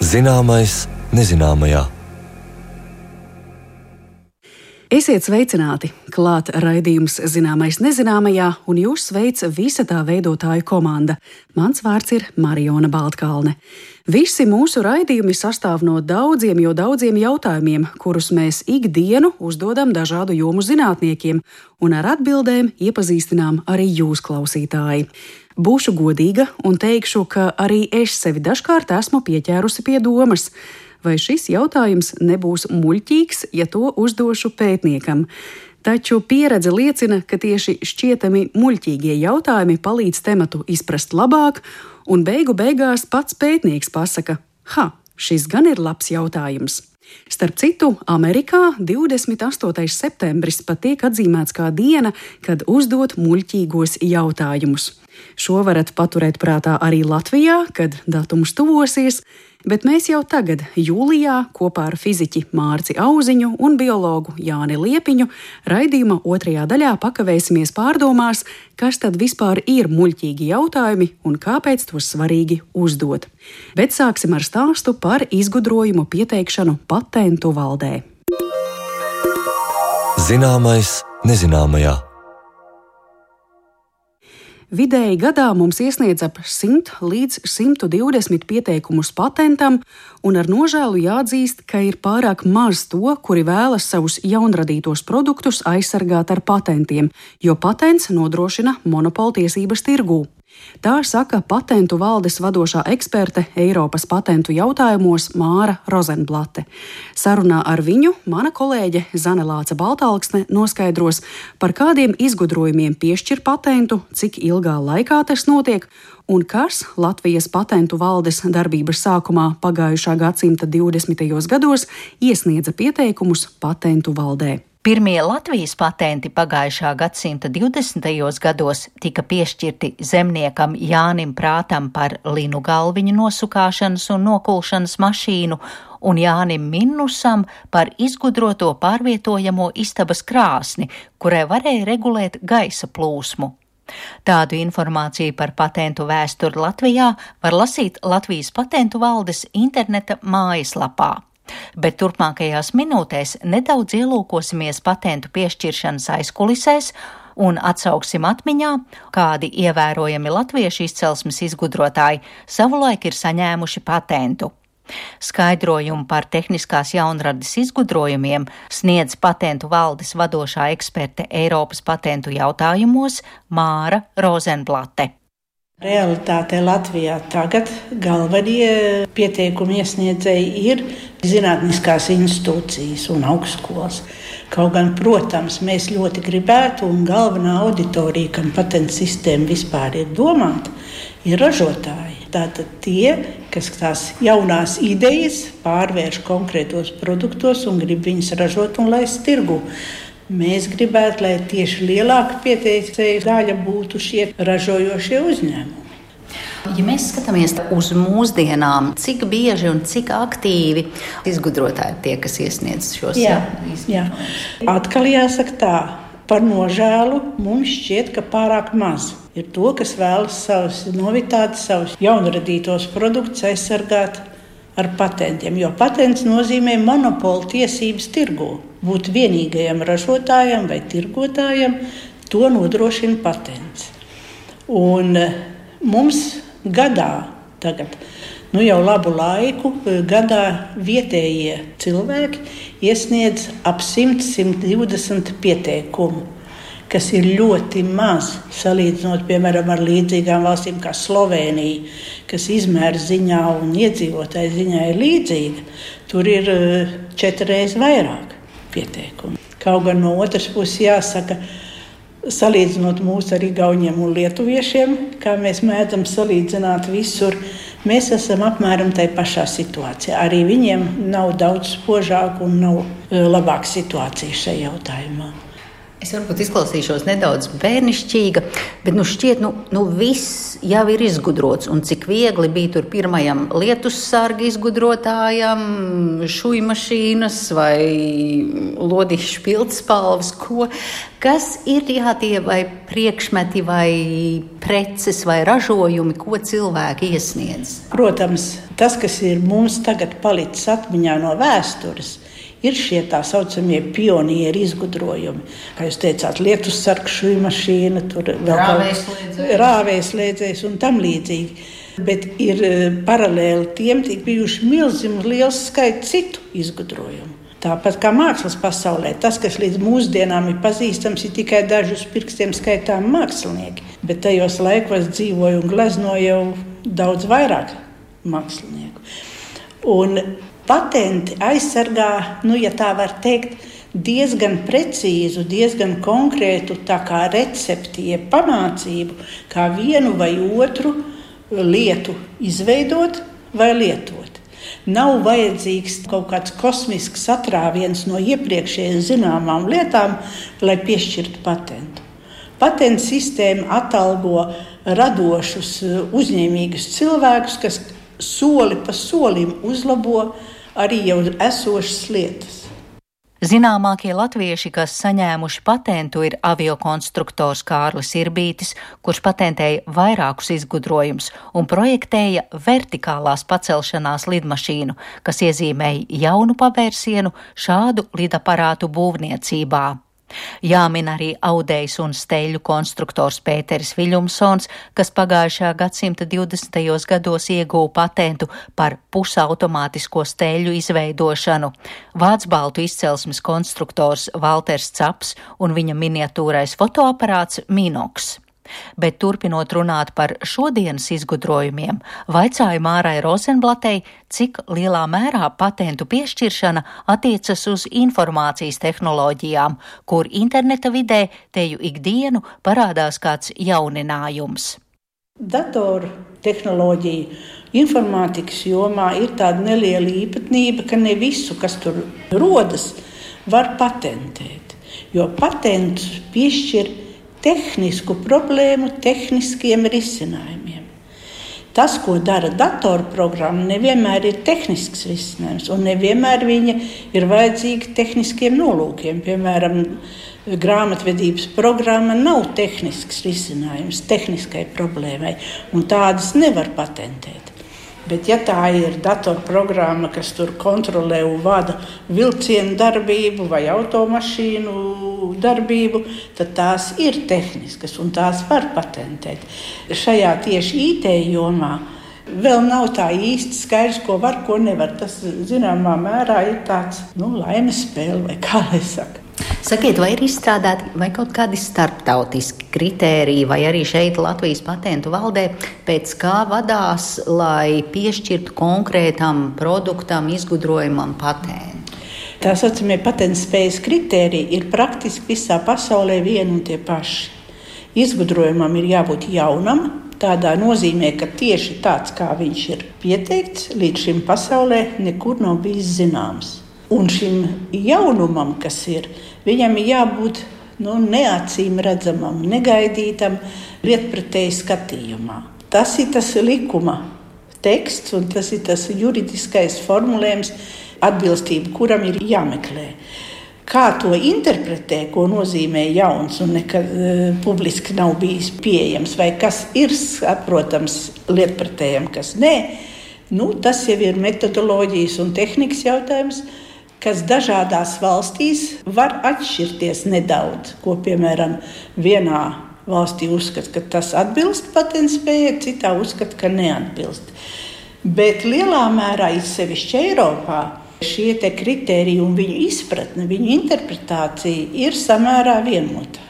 Zināmais nezināmajā. Esiet sveicināti! Klāt raidījums Zināmais nezināmajā, un jūs sveic visa tā veidotāju komanda. Mans vārds ir Marijona Baltkalne. Visi mūsu raidījumi sastāv no daudziem jautājumiem, kurus mēs ikdienu uzdodam dažādu jomu zinātniekiem, un ar atbildēm iepazīstinām arī jūs, klausītāji. Būšu godīga un teikšu, ka arī es sevi dažkārt esmu pieķērusi pie domas. Vai šis jautājums nebūs muļķīgs, ja to uzdošu pētniekam? Taču pieredze liecina, ka tieši šķietami muļķīgie jautājumi palīdz tematu izprast labāk, un beigās pats pētnieks pasaka: šis gan ir labs jautājums. Starp citu, Amerikā 28. septembris pat tiek atzīmēts kā diena, kad uzdot muļķīgos jautājumus. Šo varat paturēt prātā arī Latvijā, kad datums tuvosies, bet mēs jau tagad, jūlijā, kopā ar fiziķi Mārci Auziņu un biologu Jāni Liepiņu raidījuma otrajā daļā pakavēsimies pārdomās, kas tad vispār ir muļķīgi jautājumi un kāpēc tos svarīgi uzdot. Bet sāksim ar stāstu par izgudrojumu pieteikšanu patentu valdē. Zināmais nezināmajā. Vidēji gadā mums iesniedz ap 100 līdz 120 pieteikumus patentam, un ar nožēlu jāatzīst, ka ir pārāk maz to, kuri vēlas savus jaunradītos produktus aizsargāt ar patentiem, jo patents nodrošina monopoltiesības tirgū. Tā saka patentu valdes vadošā eksperte Eiropas patentu jautājumos Māra Rozenblate. Sarunā ar viņu mana kolēģe Zane Lāce Baltalksne noskaidros, par kādiem izgudrojumiem piešķir patentu, cik ilgā laikā tas notiek un kas Latvijas patentu valdes darbības sākumā pagājušā gadsimta 20. gados iesniedza pieteikumus patentu valdē. Pirmie Latvijas patenti pagājušā gadsimta 20. gados tika piešķirti zemniekam Jānim Prātam par linu galviņu nosukāšanas un nokulšanas mašīnu un Jānim Minnusam par izgudroto pārvietojamo istabas krāsni, kurai varēja regulēt gaisa plūsmu. Tādu informāciju par patentu vēsturi Latvijā var lasīt Latvijas patentu valdes interneta mājaslapā. Bet turpmākajās minūtēs nedaudz ielūkosimies patentu piešķiršanas aizkulisēs un atsauksim atmiņā, kādi ievērojami latviešu izcelsmes izgudrotāji savulaik ir saņēmuši patentu. Skaidrojumu par tehniskās jaunradas izgudrojumiem sniedz patentu valdes vadošā eksperte Eiropas patentu jautājumos Māra Rozenblate. Realitātē Latvijā tagad galvenie pieteikumu iesniedzēji ir zinātniskās institūcijas un augstskolas. Kaut gan, protams, mēs ļoti gribētu, un galvenā auditorija, kam patentu sistēma vispār ir domāta, ir ražotāji. Tātad tie, kas tās jaunās idejas pārvērš konkrētos produktos un grib viņus ražot un laist tirgu. Mēs gribētu, lai tieši lielāka pieteicēju daļa būtu šie ražojošie uzņēmumi. Ja mēs skatāmies uz mūsdienām, cik bieži un cik aktīvi izgudrotāji tie, kas iesniedz šos izgudrojumus? Jā. Atkal jāsaka tā, par nožēlu mums šķiet, ka pārāk maz ir to, kas vēlas savus novitātes, savus jaunradītos produktus aizsargāt ar patentiem, jo patents nozīmē monopolu tiesības tirgū. Būt vienīgajam ražotājam vai tirgotājam, to nodrošina patents. Un mums gadā tagad, jau labu laiku, gadā vietējie cilvēki iesniedz ap 100-120 pieteikumu, kas ir ļoti maz, salīdzinot, piemēram, ar līdzīgām valstīm kā Slovēnija, kas izmēra ziņā un iedzīvotāju ziņā ir līdzīga. Tur ir 4 reizes vairāk pieteikumu. Kaut gan no otras puses jāsaka, salīdzinot mūs ar igauņiem un lietuviešiem, kā mēs mēdzam salīdzināt visur, mēs esam apmēram tai pašā situācijā. Arī viņiem nav daudz spožāk un nav labāka situācija šajā jautājumā. Es varbūt izklausīšos nedaudz bērnišķīga, bet šķiet, viss jau ir izgudrots. Un cik viegli bija tur pirmajam lietussarga izgudrotājam, šujmašīnas vai lodīšu pildspalvas, kas ir tie vai priekšmeti vai preces vai ražojumi, ko cilvēki iesniedz? Protams, tas, kas ir mums tagad palicis atmiņā no vēstures, ir šie tā saucamie pionieri izgudrojumi. Kā jūs teicāt, lietussargs, šujmašīna, tur vēl rāvējslēdzējs un tam līdzīgi. Bet ir paralēli tiem tik bijuši milzīgi liels skaits citu izgudrojumu. Tāpat kā mākslas pasaulē, tas, kas līdz mūsdienām ir pazīstams, ir tikai daži uz pirkstiem skaitām mākslinieki. Bet tajos laikos dzīvoja un gleznoja jau daudz vairāk mākslinieku. Un patenti aizsargā, ja tā var teikt, diezgan precīzu, diezgan konkrētu tā kā recepti, pamācību, kā vienu vai otru lietu izveidot vai lietot. Nav vajadzīgs kaut kāds kosmisks atrāviens no iepriekšējiem zināmām lietām, lai piešķirtu patentu. Patentu sistēma atalgo radošus, uzņēmīgus cilvēkus, kas soli pa solim uzlabo arī jau esošas lietas. Zināmākie latvieši, kas saņēmuši patentu, ir aviokonstruktors Kārlis Irbītis, kurš patentēja vairākus izgudrojumus un projektēja vertikālās pacelšanās lidmašīnu, kas iezīmēja jaunu pavērsienu šādu lidaparātu būvniecībā. Jāmin arī audējs un steļu konstruktors Pēteris Viļumsons, kas pagājušā gadsimta 20. gados ieguva patentu par pusautomātisko steļu izveidošanu, vācbaltu izcelsmes konstruktors Valters Caps un viņa miniatūrais fotoaparāts Minox. Bet turpinot runāt par šodienas izgudrojumiem, vaicāju Mārai Rozenblatei, cik lielā mērā patentu piešķiršana attiecas uz informācijas tehnoloģijām, kur interneta vidē teju ikdienu parādās kāds jauninājums. Datoru tehnoloģiju informātikas jomā ir tāda neliela īpatnība, ka ne visu, kas tur rodas, var patentēt, jo patentus piešķir tehnisku problēmu tehniskiem risinājumiem. Tas, ko dara datorprogramma, nevienmēr ir tehnisks risinājums, un nevienmēr viņa ir vajadzīga tehniskiem nolūkiem. Piemēram, grāmatvedības programma nav tehnisks risinājums tehniskai problēmai, un tādas nevar patentēt. Bet ja tā ir datorprogramma, kas tur kontrolē un vada vilcienu darbību vai automašīnu darbību, tad tās ir tehniskas un tās var patentēt. Šajā tieši IT jomā vēl nav tā īsti skaidrs, ko var, ko nevar. Tas zināmā mērā ir tāds laimes spēle, vai kā lai saka. Sakiet, vai ir izstrādāti vai kaut kādi starptautiski kritēriji, vai arī šeit Latvijas patentu valdē, pēc kā vadās, lai piešķirtu konkrētam produktam, izgudrojumam patentu? Tā saucamie patentspējas kritēriji ir praktiski visā pasaulē vieni un tie paši. Izgudrojumam ir jābūt jaunam, tādā nozīmē, ka tieši tāds, kā viņš ir pieteikts, līdz šim pasaulē nekur nav bijis zināms. Un šim jaunumam, kas ir, viņam ir jābūt neacīm redzamam, negaidītam, lietpratēji skatījumā. Tas ir tas likuma teksts un tas ir tas juridiskais formulējums, atbilstība, kuram ir jāmeklē. Kā to interpretē, ko nozīmē jauns un nekad publiski nav bijis pieejams, vai kas ir saprotams lietpratējam, kas nē, tas jau ir metodoloģijas un tehnikas jautājums, kas dažādās valstīs var atšķirties nedaudz, ko, piemēram, vienā valstī uzskata, ka tas atbilst patentspējai, citā uzskata, ka neatbilst. Bet lielā mērā, izsevišķi Eiropā, šie te kritēriji un viņu izpratne, viņu interpretācija ir samērā vienota.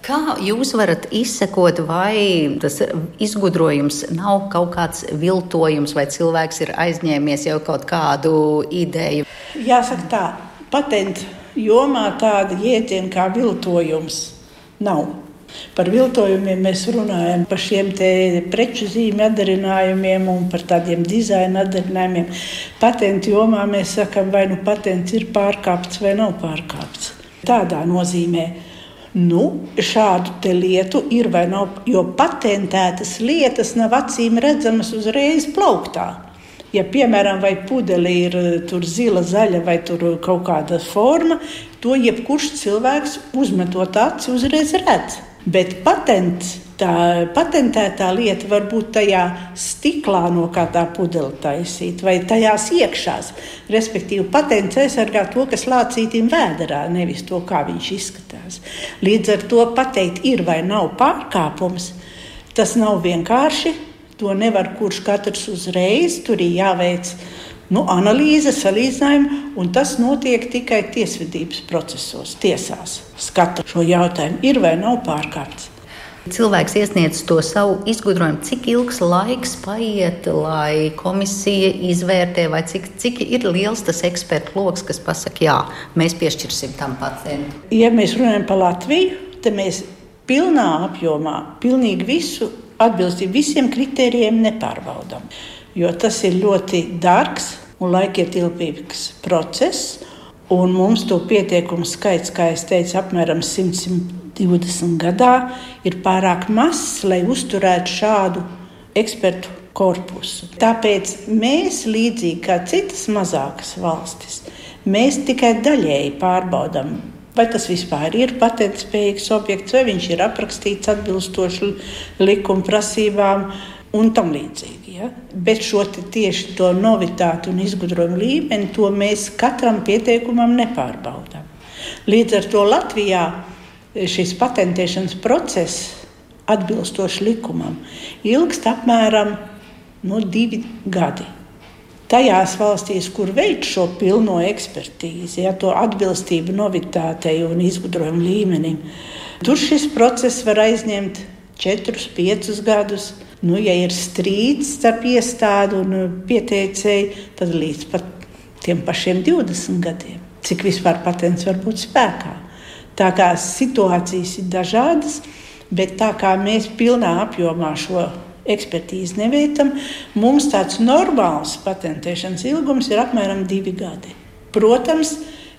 Kā jūs varat izsekot, vai tas izgudrojums nav kaut kāds viltojums, vai cilvēks ir aizņēmies jau kaut kādu ideju? Jāsaka tā, patentu jomā tāda jēdziena kā viltojums nav. Par viltojumiem mēs runājam, par šiem te preču zīmju atdarinājumiem un par tādiem dizaina atdarinājumiem. Patentu jomā mēs sakam, vai patents ir pārkāpts vai nav pārkāpts. Tādā nozīmē. Šādu te lietu ir vai nav, jo patentētas lietas nav acīm redzamas uzreiz plauktā. Ja, piemēram, vai pudeli ir tur zila, zaļa vai tur kaut kāda forma, to jebkurš cilvēks uzmetot aci uzreiz redz. Bet patentētā lieta var būt tajā stiklā, no kā tā pudele taisīt, vai tajās iekšās. Respektīvi, patents aizsargā to, kas lācītim vēderā, nevis to, kā viņš izskatās. Līdz ar to pateikt, ir vai nav pārkāpums, tas nav vienkārši. To nevar kurš katrs uzreiz, tur ir jāveic analīze, salīdzinājumi, un tas notiek tikai tiesvedības procesos, tiesās. Skata šo jautājumu, ir vai nav pārkāpts. Cilvēks iesniedz to savu izgudrojumu, cik ilgs laiks paiet, lai komisija izvērtē, vai cik ir liels tas ekspertu loks, kas pasaka, jā, mēs piešķirsim tam patentu. Ja mēs runājam par Latviju, tad mēs pilnā apjomā, pilnīgi visu atbilstību visiem kritērijiem nepārbaudām, jo tas ir ļoti dārgs un laikietilpīgs process, un mums to pieteikumu skaits, kā es teicu, apmēram 120 gadā, ir pārāk mazs, lai uzturētu šādu ekspertu korpusu. Tāpēc mēs, līdzīgi kā citas mazākas valstis, mēs tikai daļēji pārbaudām, vai tas vispār ir patentspējīgs objekts, vai viņš ir aprakstīts atbilstoši likuma prasībām un tam līdzīgi. Ja? Bet tieši to novitāti un izgudrojumu līmeni, to mēs katram pieteikumam nepārbaudām. Līdz ar to Latvijā šis patentēšanas process atbilstoši likumam ilgst apmēram 2 gadi. Tajās valstīs, kur veic šo pilno ekspertīzi, ja, to atbilstību novitātei un izgudrojumu līmenim, tur šis process var aizņemt 4-5 gadus. Ja ir strīds starp iestādi un pieteicēju, tad līdz pat tiem pašiem 20 gadiem, cik vispār patents var būt spēkā. Tā kā situācijas ir dažādas, bet tā kā mēs pilnā apjomā šo ekspertīzi neveicam, mums tāds normāls patentēšanas ilgums ir apmēram 2 gadi. Protams,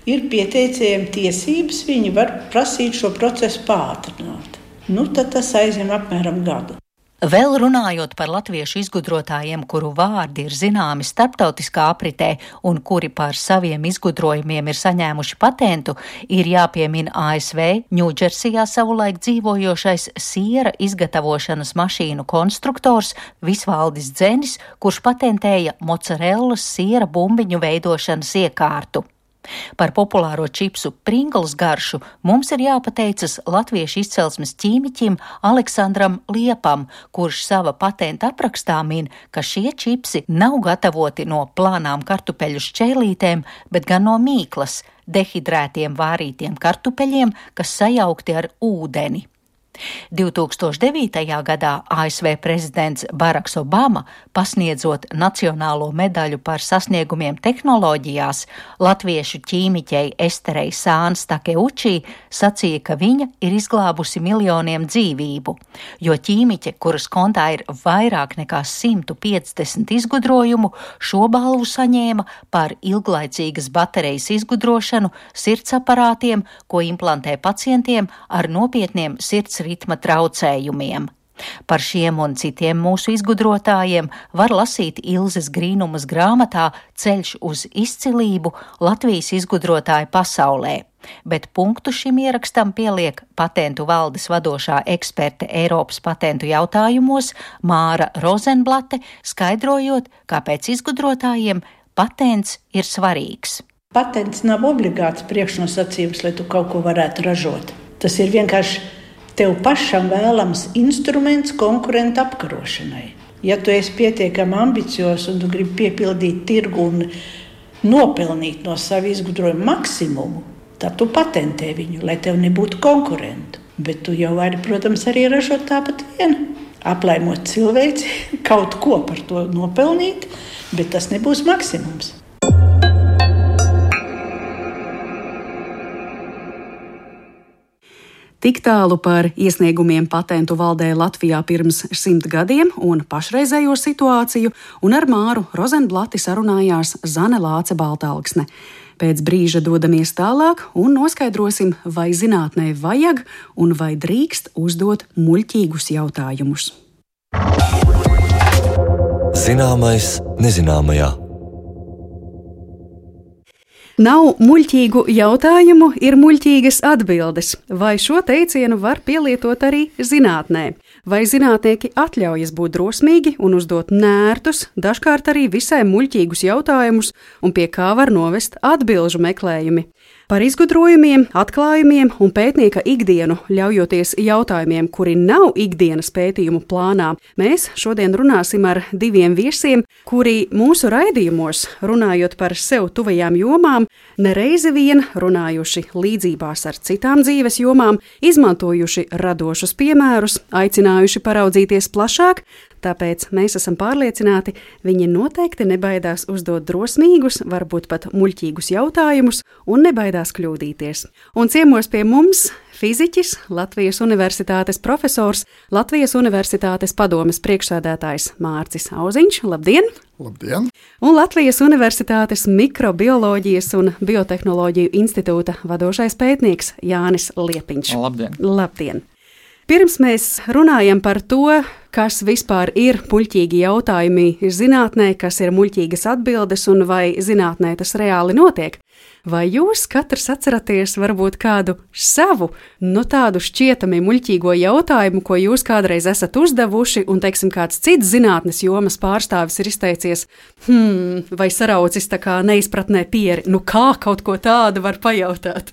ir pieteicējiem tiesības, viņi var prasīt šo procesu pātrināt. Tad tas aizņem apmēram gadu. Vēl runājot par latviešu izgudrotājiem, kuru vārdi ir zināmi starptautiskā apritē un kuri par saviem izgudrojumiem ir saņēmuši patentu, ir jāpiemina ASV Ņūdžersijā savulaik dzīvojošais siera izgatavošanas mašīnu konstruktors Visvaldis Dzenis, kurš patentēja mocarellas siera bumbiņu veidošanas iekārtu. Par populāro čipsu Pringles garšu mums ir jāpateicas latviešu izcelsmes ķīmiķim Aleksandram Liepam, kurš sava patenta aprakstā min, ka šie čipsi nav gatavoti no plānām kartupeļu šķēlītēm, bet gan no mīklas, dehidrētiem vārītiem kartupeļiem, kas sajaukti ar ūdeni. 2009. gadā ASV prezidents Baraks Obama, pasniedzot nacionālo medaļu par sasniegumiem tehnoloģijās, latviešu ķīmiķei Esterei Sāns Takeuči sacīja, ka viņa ir izglābusi miljoniem dzīvību, jo ķīmiķe, kuras kontā ir vairāk nekā 150 izgudrojumu, šo balvu saņēma par ilglaicīgas baterijas izgudrošanu sirdsaparātiem, ko implantē pacientiem ar nopietniem sirds ritma traucējumiem. Par šiem un citiem mūsu izgudrotājiem var lasīt Ilzes Grīnumas grāmatā Ceļš uz izcilību Latvijas izgudrotāju pasaulē, bet punktu šim ierakstam pieliek patentu valdes vadošā eksperte Eiropas patentu jautājumos Māra Rozenblate, skaidrojot, kāpēc izgudrotājiem patents ir svarīgs. Patents nav obligāts priekšnosacījums, lai tu kaut ko varētu ražot. Tas ir vienkārši tev pašam vēlams instruments konkurentu apkarošanai. Ja tu esi pietiekami ambiciozs un tu gribi piepildīt tirgu un nopelnīt no savu izgudrojumu maksimumu, tad tu patentē viņu, lai tev nebūtu konkurentu. Bet tu jau vari, protams, arī ražot tāpat vien. Aplaimot cilvēci, kaut ko par to nopelnīt, bet tas nebūs maksimums. Tik tālu par iesniegumiem patentu valdē Latvijā pirms 100 gadiem un pašreizējo situāciju, un ar Māru Rozenblati sarunājās Zane Lāce Baltalksne. Pēc brīža dodamies tālāk un noskaidrosim, vai zinātnē vajag un vai drīkst uzdot muļķīgus jautājumus. Zināmais nezināmajā. Nav muļķīgu jautājumu, ir muļķīgas atbildes. Vai šo teicienu var pielietot arī zinātnē? Vai zinātnieki atļaujas būt drosmīgi un uzdot nērtus, dažkārt arī visai muļķīgus jautājumus, un pie kā var novest atbilžu meklējumi? Par izgudrojumiem, atklājumiem un pētnieka ikdienu, ļaujoties jautājumiem, kuri nav ikdienas pētījumu plānā, mēs šodien runāsim ar diviem viesiem, kuri mūsu raidījumos, runājot par sev tuvajām jomām, nereizi vien runājuši līdzībās ar citām dzīves jomām, izmantojuši radošus piemērus, aicinājuši paraudzīties plašāk. Tāpēc mēs esam pārliecināti, viņi noteikti nebaidās uzdot drosmīgus, varbūt pat muļķīgus jautājumus un nebaidās kļūdīties. Un ciemos pie mums fiziķis, Latvijas Universitātes profesors, Latvijas Universitātes padomes priekšsēdētājs Mārcis Auziņš. Labdien! Labdien! Un Latvijas Universitātes mikrobioloģijas un biotehnoloģiju institūta vadošais pētnieks Jānis Liepiņš. Labdien! Labdien! Pirms mēs runājam par to, kas vispār ir muļķīgi jautājumi zinātnē, kas ir muļķīgas atbildes un vai zinātnē tas reāli notiek, vai jūs katrs atceraties varbūt kādu savu, tādu šķietami muļķīgo jautājumu, ko jūs kādreiz esat uzdevuši, un, teiksim, kāds cits zinātnes jomas pārstāvis ir izteicies, vai saraucis tā kā neizpratnē pieri, kā kaut ko tādu var pajautāt?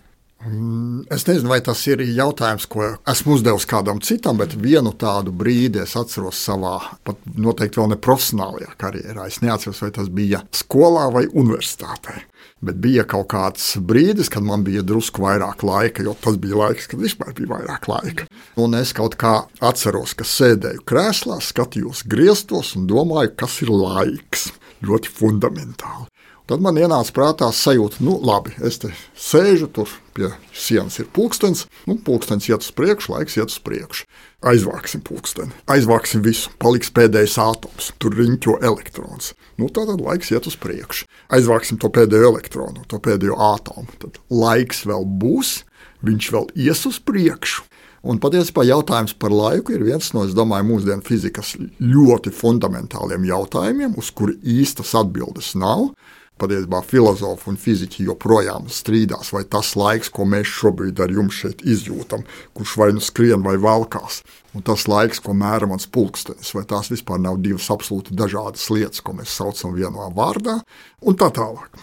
Es nezinu, vai tas ir jautājums, ko esmu uzdevis kādam citam, bet vienu tādu brīdi es atceros savā, pat noteikti vēl ne profesionālajā karjerā. Es neatceros, vai tas bija skolā vai universitātē. Bet bija kaut kāds brīdis, kad man bija drusku vairāk laika, jo tas bija laiks, kad vispār bija vairāk laika. Un es kaut kā atceros, ka sēdēju krēslā, skatījos griestos un domāju, kas ir laiks. Ļoti fundamentāli. Tad man ienāca prātā sajūta, labi, es te sēžu, tur pie sienas ir pulkstenis, pulkstenis iet uz priekšu, laiks iet uz priekšu. Aizvāksim pulksteni, aizvāksim visu, paliks pēdējais ātoms, tur riņķo elektrons. Tātad laiks iet uz priekšu. Aizvāksim to pēdējo elektronu, to pēdējo ātomu, tad laiks vēl būs, viņš vēl ies uz priekšu. Un patiesībā jautājums par laiku ir viens no, es domāju, mūsdienu fizikas ļoti fundamentāliem jautājumiem, uz kuri īstas atbildes nav. Patiesībā filozofi un fiziķi joprojām strīdās, vai tas laiks, ko mēs šobrīd ar jums šeit izjūtam, kurš vai nu skrien vai valkās, un tas laiks, ko mēra mans pulkstenis, vai tās vispār nav divas absolūti dažādas lietas, ko mēs saucam vienā vārdā, un tā tālāk.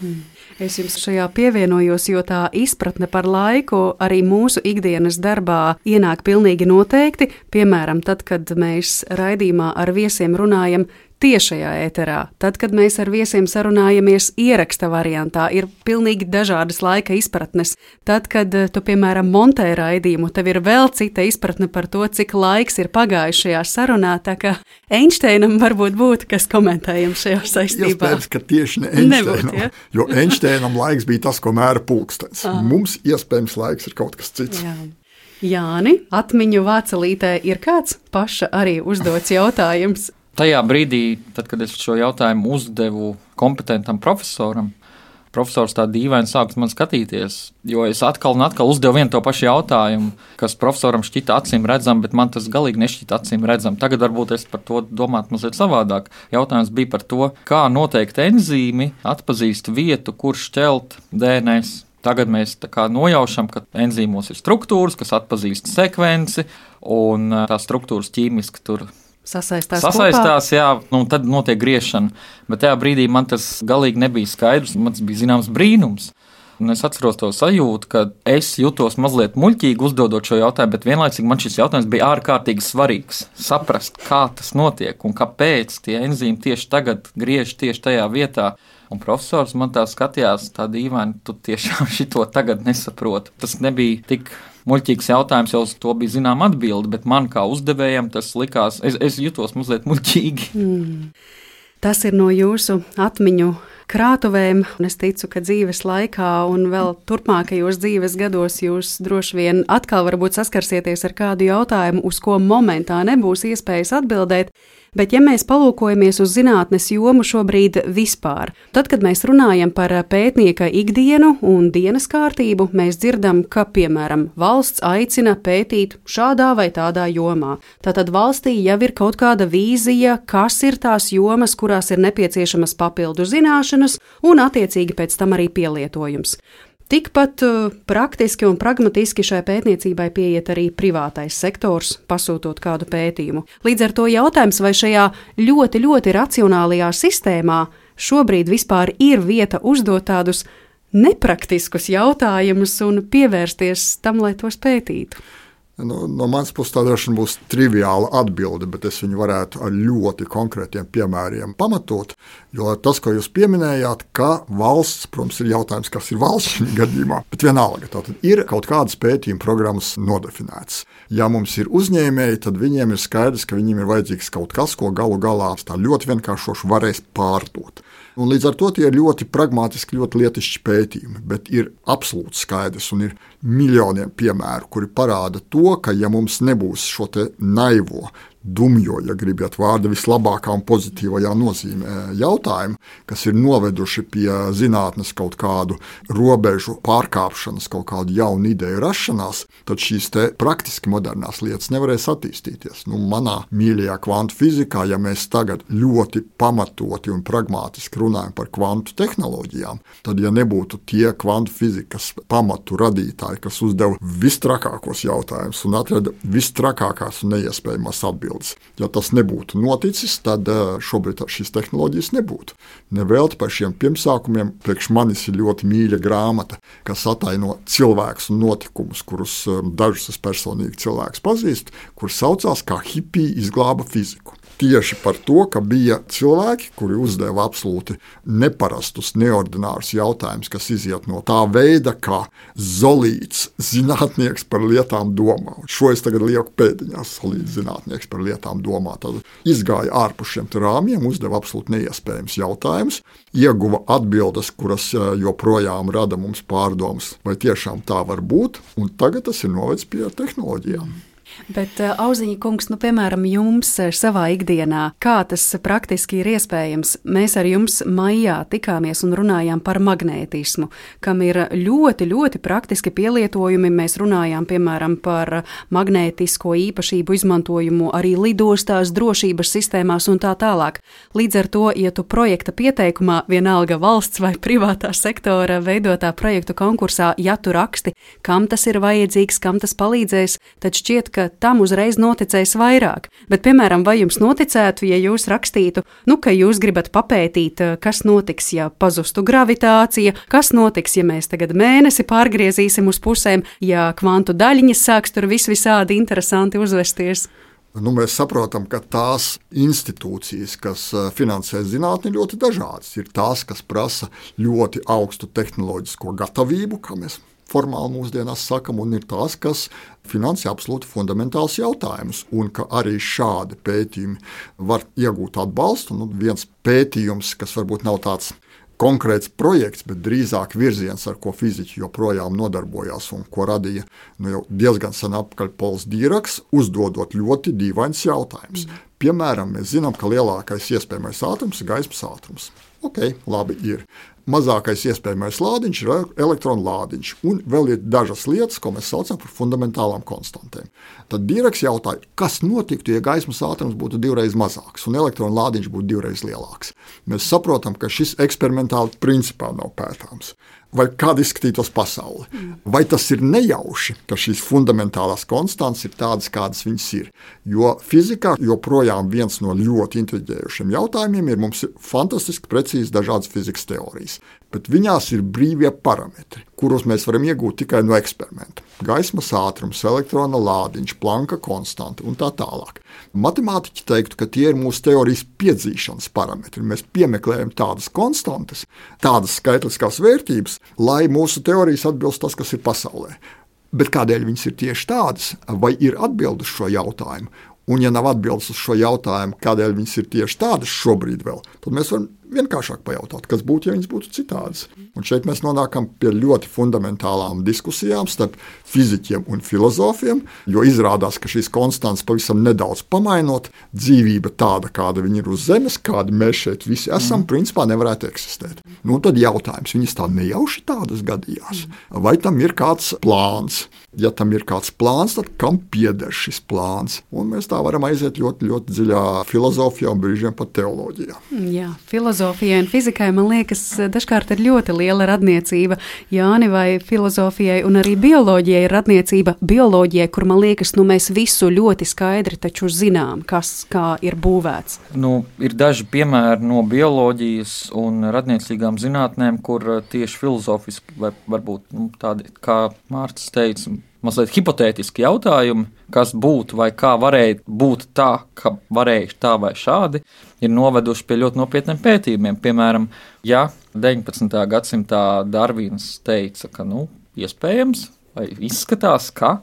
Es jums šajā pievienojos, jo tā izpratne par laiku arī mūsu ikdienas darbā ienāk pilnīgi noteikti. Piemēram, tad, kad mēs raidījumā ar viesiem runājam tiešajā ēterā, tad, kad mēs ar viesiem sarunājamies ieraksta variantā, ir pilnīgi dažādas laika izpratnes. Tad, kad tu, piemēram, montē raidījumu, tev ir vēl cita izpratne par to, cik laiks ir pagājis šajā sarunā, tā kā Einšteinam varbūt būtu, kas komentējam šajā saistībā. Iespējams, ka tieši ne Einšteinam, jo Einšteinam laiks bija tas, ko mēra pulkstenis. Mums iespējams laiks ir kaut kas cits. Jā. Jāni, atmiņu vācelītē ir kāds paša arī uzdots jautājums? Tajā brīdī, tad, kad es šo jautājumu uzdevu kompetentam profesoram, profesors tā dīvaini sāka man skatīties, jo es atkal un atkal uzdevu vienu to pašu jautājumu, kas profesoram šķita acīm redzam, bet man tas galīgi nešķita acīm redzam. Tagad varbūt es par to domātu mazliet savādāk. Jautājums bija par to, kā noteikti enzīmi atpazīst vietu, kur šķelt DNS. Tagad mēs nojaušam, ka enzīmos ir struktūras, kas atpazīst sekvenci, un tās struktūras ķīmiski tur sasaistās, jā, tad notiek griešana. Bet tajā brīdī man tas galīgi nebija skaidrs, man tas bija zināms brīnums. Un es atceros to sajūtu, ka es jutos mazliet muļķīgi uzdodot šo jautājumu, bet vienlaicīgi man šis jautājums bija ārkārtīgi svarīgs. Saprast, kā tas notiek un kāpēc tie enzīmi tieši tagad griež tieši tajā vietā. Un profesors man tā skatījās tā dīvaini, tu tiešām šito tagad nesaproti. Tas nebija tik muļķīgs jautājums, jau uz to bija zinām atbildi, bet man kā uzdevējam tas likās, es jutos mazliet muļķīgi. Tas ir no jūsu atmiņu krātuvēm. Un es ticu, ka dzīves laikā un vēl turpmākajos dzīves gados jūs droši vien atkal varbūt saskarsieties ar kādu jautājumu, uz ko momentā nebūs iespējas atbildēt. Bet, ja mēs palūkojamies uz zinātnes jomu šobrīd vispār, tad, kad mēs runājam par pētnieka ikdienu un dienas kārtību, mēs dzirdam, ka, piemēram, valsts aicina pētīt šādā vai tādā jomā. Tātad valstī jau ir kaut kāda vīzija, kas ir tās jomas, kurās ir nepieciešamas papildu zināšanas un attiecīgi pēc tam arī pielietojums. Tikpat praktiski un pragmatiski šai pētniecībai pieiet arī privātais sektors, pasūtot kādu pētījumu. Līdz ar to jautājums, vai šajā ļoti, ļoti racionālajā sistēmā šobrīd vispār ir vieta uzdot tādus nepraktiskus jautājumus un pievērsties tam, lai tos pētītu. No manas puses tā droši būs triviāla atbilde, bet es viņu varētu ar ļoti konkrētiem piemēriem pamatot, jo tas, ko jūs pieminējāt, ka valsts, protams, ir jautājums, kas ir valsts šajā gadījumā, bet vienalga, tātad ir kaut kādas pētījuma programmas nodefinētas. Ja mums ir uzņēmēji, tad viņiem ir skaidrs, ka viņiem ir vajadzīgs kaut kas, ko galu galā tā ļoti vienkāršoši varēs pārdot. Un līdz ar to tie ir ļoti pragmatiski, ļoti lietišķi pētījumi, bet ir absolūti skaidrs un ir miljoniem piemēru, kuri parāda to, ka ja mums nebūs šo te naivo, dumjo, ja gribat vārdu vislabākā un pozitīvajā nozīmē jautājumu, kas ir noveduši pie zinātnes kaut kādu robežu pārkāpšanas, kaut kādu jaunu ideju rašanās, tad šīs te praktiski modernās lietas nevarēs attīstīties. Manā mīļajā kvantu fizikā, ja mēs tagad ļoti pamatoti un pragmatiski runājam par kvantu tehnoloģijām, tad ja nebūtu tie kvantu fizikas pamatu radītāji, kas uzdeva vistrakākos jautājumus un atrada vistrakākās un neiespējamās atbildes. Ja tas nebūtu noticis, tad šobrīd šīs tehnoloģijas nebūtu. Nevelti par šiem pirmsākumiem priekš manis ir ļoti mīļa grāmata, kas ataino cilvēkus un notikumus, kurus dažus es personīgi cilvēkus pazīstu, kurus saucās kā hipiji izglāba fiziku. Tieši par to, ka bija cilvēki, kuri uzdeva absolūti neparastus, neordinārus jautājumus, kas iziet no tā veida, kā Zolīts zinātnieks par lietām domā. Šo es tagad lieku pēdiņās, Zolīts zinātnieks par lietām domā. Tad izgāja ārpus šiem rāmjiem, uzdeva absolūti neiespējams jautājumus, ieguva atbildes, kuras joprojām rada mums pārdomas, vai tiešām tā var būt, un tagad tas ir novedis pie tehnoloģijām. Bet, Auziņa kungs, piemēram, jums savā ikdienā, kā tas praktiski ir iespējams? Mēs ar jums maijā tikāmies un runājām par magnētismu, kam ir ļoti, ļoti praktiski pielietojumi. Mēs runājām, piemēram, par magnētisko īpašību izmantojumu arī lidostās, drošības sistēmās un tā tālāk. Līdz ar to, ja tu projekta pieteikumā, vienalga valsts vai privātā sektora veidotā projektu konkursā, ja tu raksti, kam tas ir vajadzīgs, kam tas palīdzēs, tad šķiet, ka tam uzreiz noticēs vairāk. Bet, piemēram, vai jums noticētu, ja jūs rakstītu, ka jūs gribat papētīt, kas notiks, ja pazustu gravitācija, kas notiks, ja mēs tagad mēnesi pārgriezīsim uz pusēm, ja kvantu daļiņas sāks tur visādi interesanti uzvesties? Mēs saprotam, ka tās institūcijas, kas finansē zinātni, ir ļoti dažādas. Ir tās, kas prasa ļoti augstu tehnoloģisko gatavību, kā mēs formāli mūsdienās sakam, un ir tās, kas finansē absolūti fundamentāls jautājumus, un ka arī šādi pētījumi var iegūt atbalstu. Viens pētījums, kas varbūt nav tāds konkrēts projekts, bet drīzāk virziens, ar ko fiziķi joprojām nodarbojās un ko radīja jau diezgan sen atpakaļ Pols Dīraks, uzdodot ļoti dīvains jautājums. Piemēram, mēs zinām, ka lielākais iespējamais ātrums ir gaismas ātrums. Ok, labi ir. Mazākais iespējamais lādiņš ir elektronu lādiņš, un vēl ir dažas lietas, ko mēs saucam par fundamentālām konstantēm. Tad Dīraks jautāja, kas notiktu, ja gaismas ātrums būtu 2 reizes mazāks un elektronu lādiņš būtu 2 reizes lielāks. Mēs saprotam, ka šis eksperimentāli principā nav pētāms. Vai kāda izskatītos pasaule? Vai tas ir nejauši, ka šīs fundamentālās konstantas ir tādas, kādas viņas ir? Jo fizikā joprojām viens no ļoti intriģējošiem jautājumiem ir, mums ir fantastiski precīzi dažādas fizikas teorijas, bet viņās ir brīvie parametri, kurus mēs varam iegūt tikai no eksperimenta. Gaismas ātrums, elektrona lādiņš, Planka konstanta un tā tālāk. Matemātiķi teiktu, ka tie ir mūsu teorijas piedzīšanas parametri. Mēs piemeklējam tādas konstantas, tādas skaitliskās vērtības, lai mūsu teorijas atbilst tas, kas ir pasaulē. Bet kādēļ viņas ir tieši tādas? Vai ir atbildi uz šo jautājumu? Un ja nav atbildes uz šo jautājumu, kādēļ viņas ir tieši tādas šobrīd vēl, tad mēs varam vienkāršāk pajautāt, kas būtu, ja viņas būtu citādas. Un šeit mēs nonākam pie ļoti fundamentālām diskusijām starp fiziķiem un filozofiem, jo izrādās, ka šīs konstantas pavisam nedaudz pamainot, dzīvība tāda, kāda viņa ir uz Zemes, kādi mēs šeit visi esam, principā nevarētu eksistēt. Nu, tad jautājums, viņas tā nejauši tādas gadījās? Vai tam ir kāds plāns? Ja tam ir kāds plāns, tad kam pieder šis plāns? Un mēs tā varam aiziet ļoti, ļoti dziļā filozofijā un brīžiem pat teoloģijā. Jā, filozofijai un fizikai, man liekas, dažkārt ir ļoti liela radniecība. Jāni, vai filozofijai un arī bioloģijai ir radniecība bioloģijai, kur, man liekas, mēs visu ļoti skaidri taču zinām, kas kā ir būvēts? Ir daži piemēri no bioloģijas un radniecīgām zinātnēm, kur tieši filozofiski vai varbūt tādi, kā Mārcis teica, mazliet hipotētiski jautājumi, kas būtu vai kā varēja būt tā, ka varēja tā vai šādi, ir noveduši pie ļoti nopietniem pētījumiem. Piemēram, ja 19. gadsimtā Darvins teica, ka iespējams vai izskatās, ka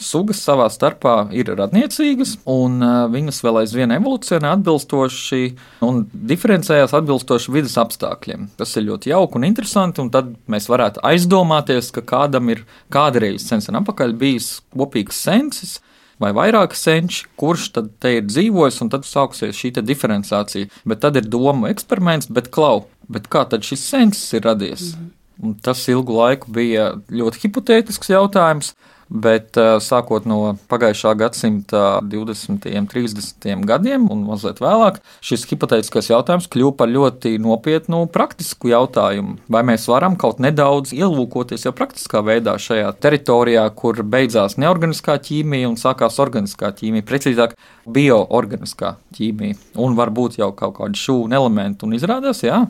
sugas savā starpā ir radniecīgas, un viņas vēl aizvien evolūcionē atbilstoši un diferencējās atbilstoši vidas apstākļiem. Tas ir ļoti jauki un interesanti, un tad mēs varētu aizdomāties, ka kādam ir kādreiz sen apakaļ bijis kopīgs sensis vai vairāki senči, kurš tad te ir dzīvojis, un tad sāksies šī diferenciācija. Bet tad ir domu eksperiments, bet kā tad šis sensis ir radies? Un tas ilgu laiku bija ļoti hipotētisks jautājums, bet sākot no pagājušā gadsimta 20. un 30. gadiem un mazliet vēlāk, šis hipotētiskais jautājums kļuva par ļoti nopietnu praktisku jautājumu. Vai mēs varam kaut nedaudz ielūkoties jau praktiskā veidā šajā teritorijā, kur beidzās neorganiskā ķīmija un sākās organiskā ķīmija, precīzāk bioorganiskā ķīmija, un varbūt jau kaut kādi šūnu elementi, un izrādās, jā,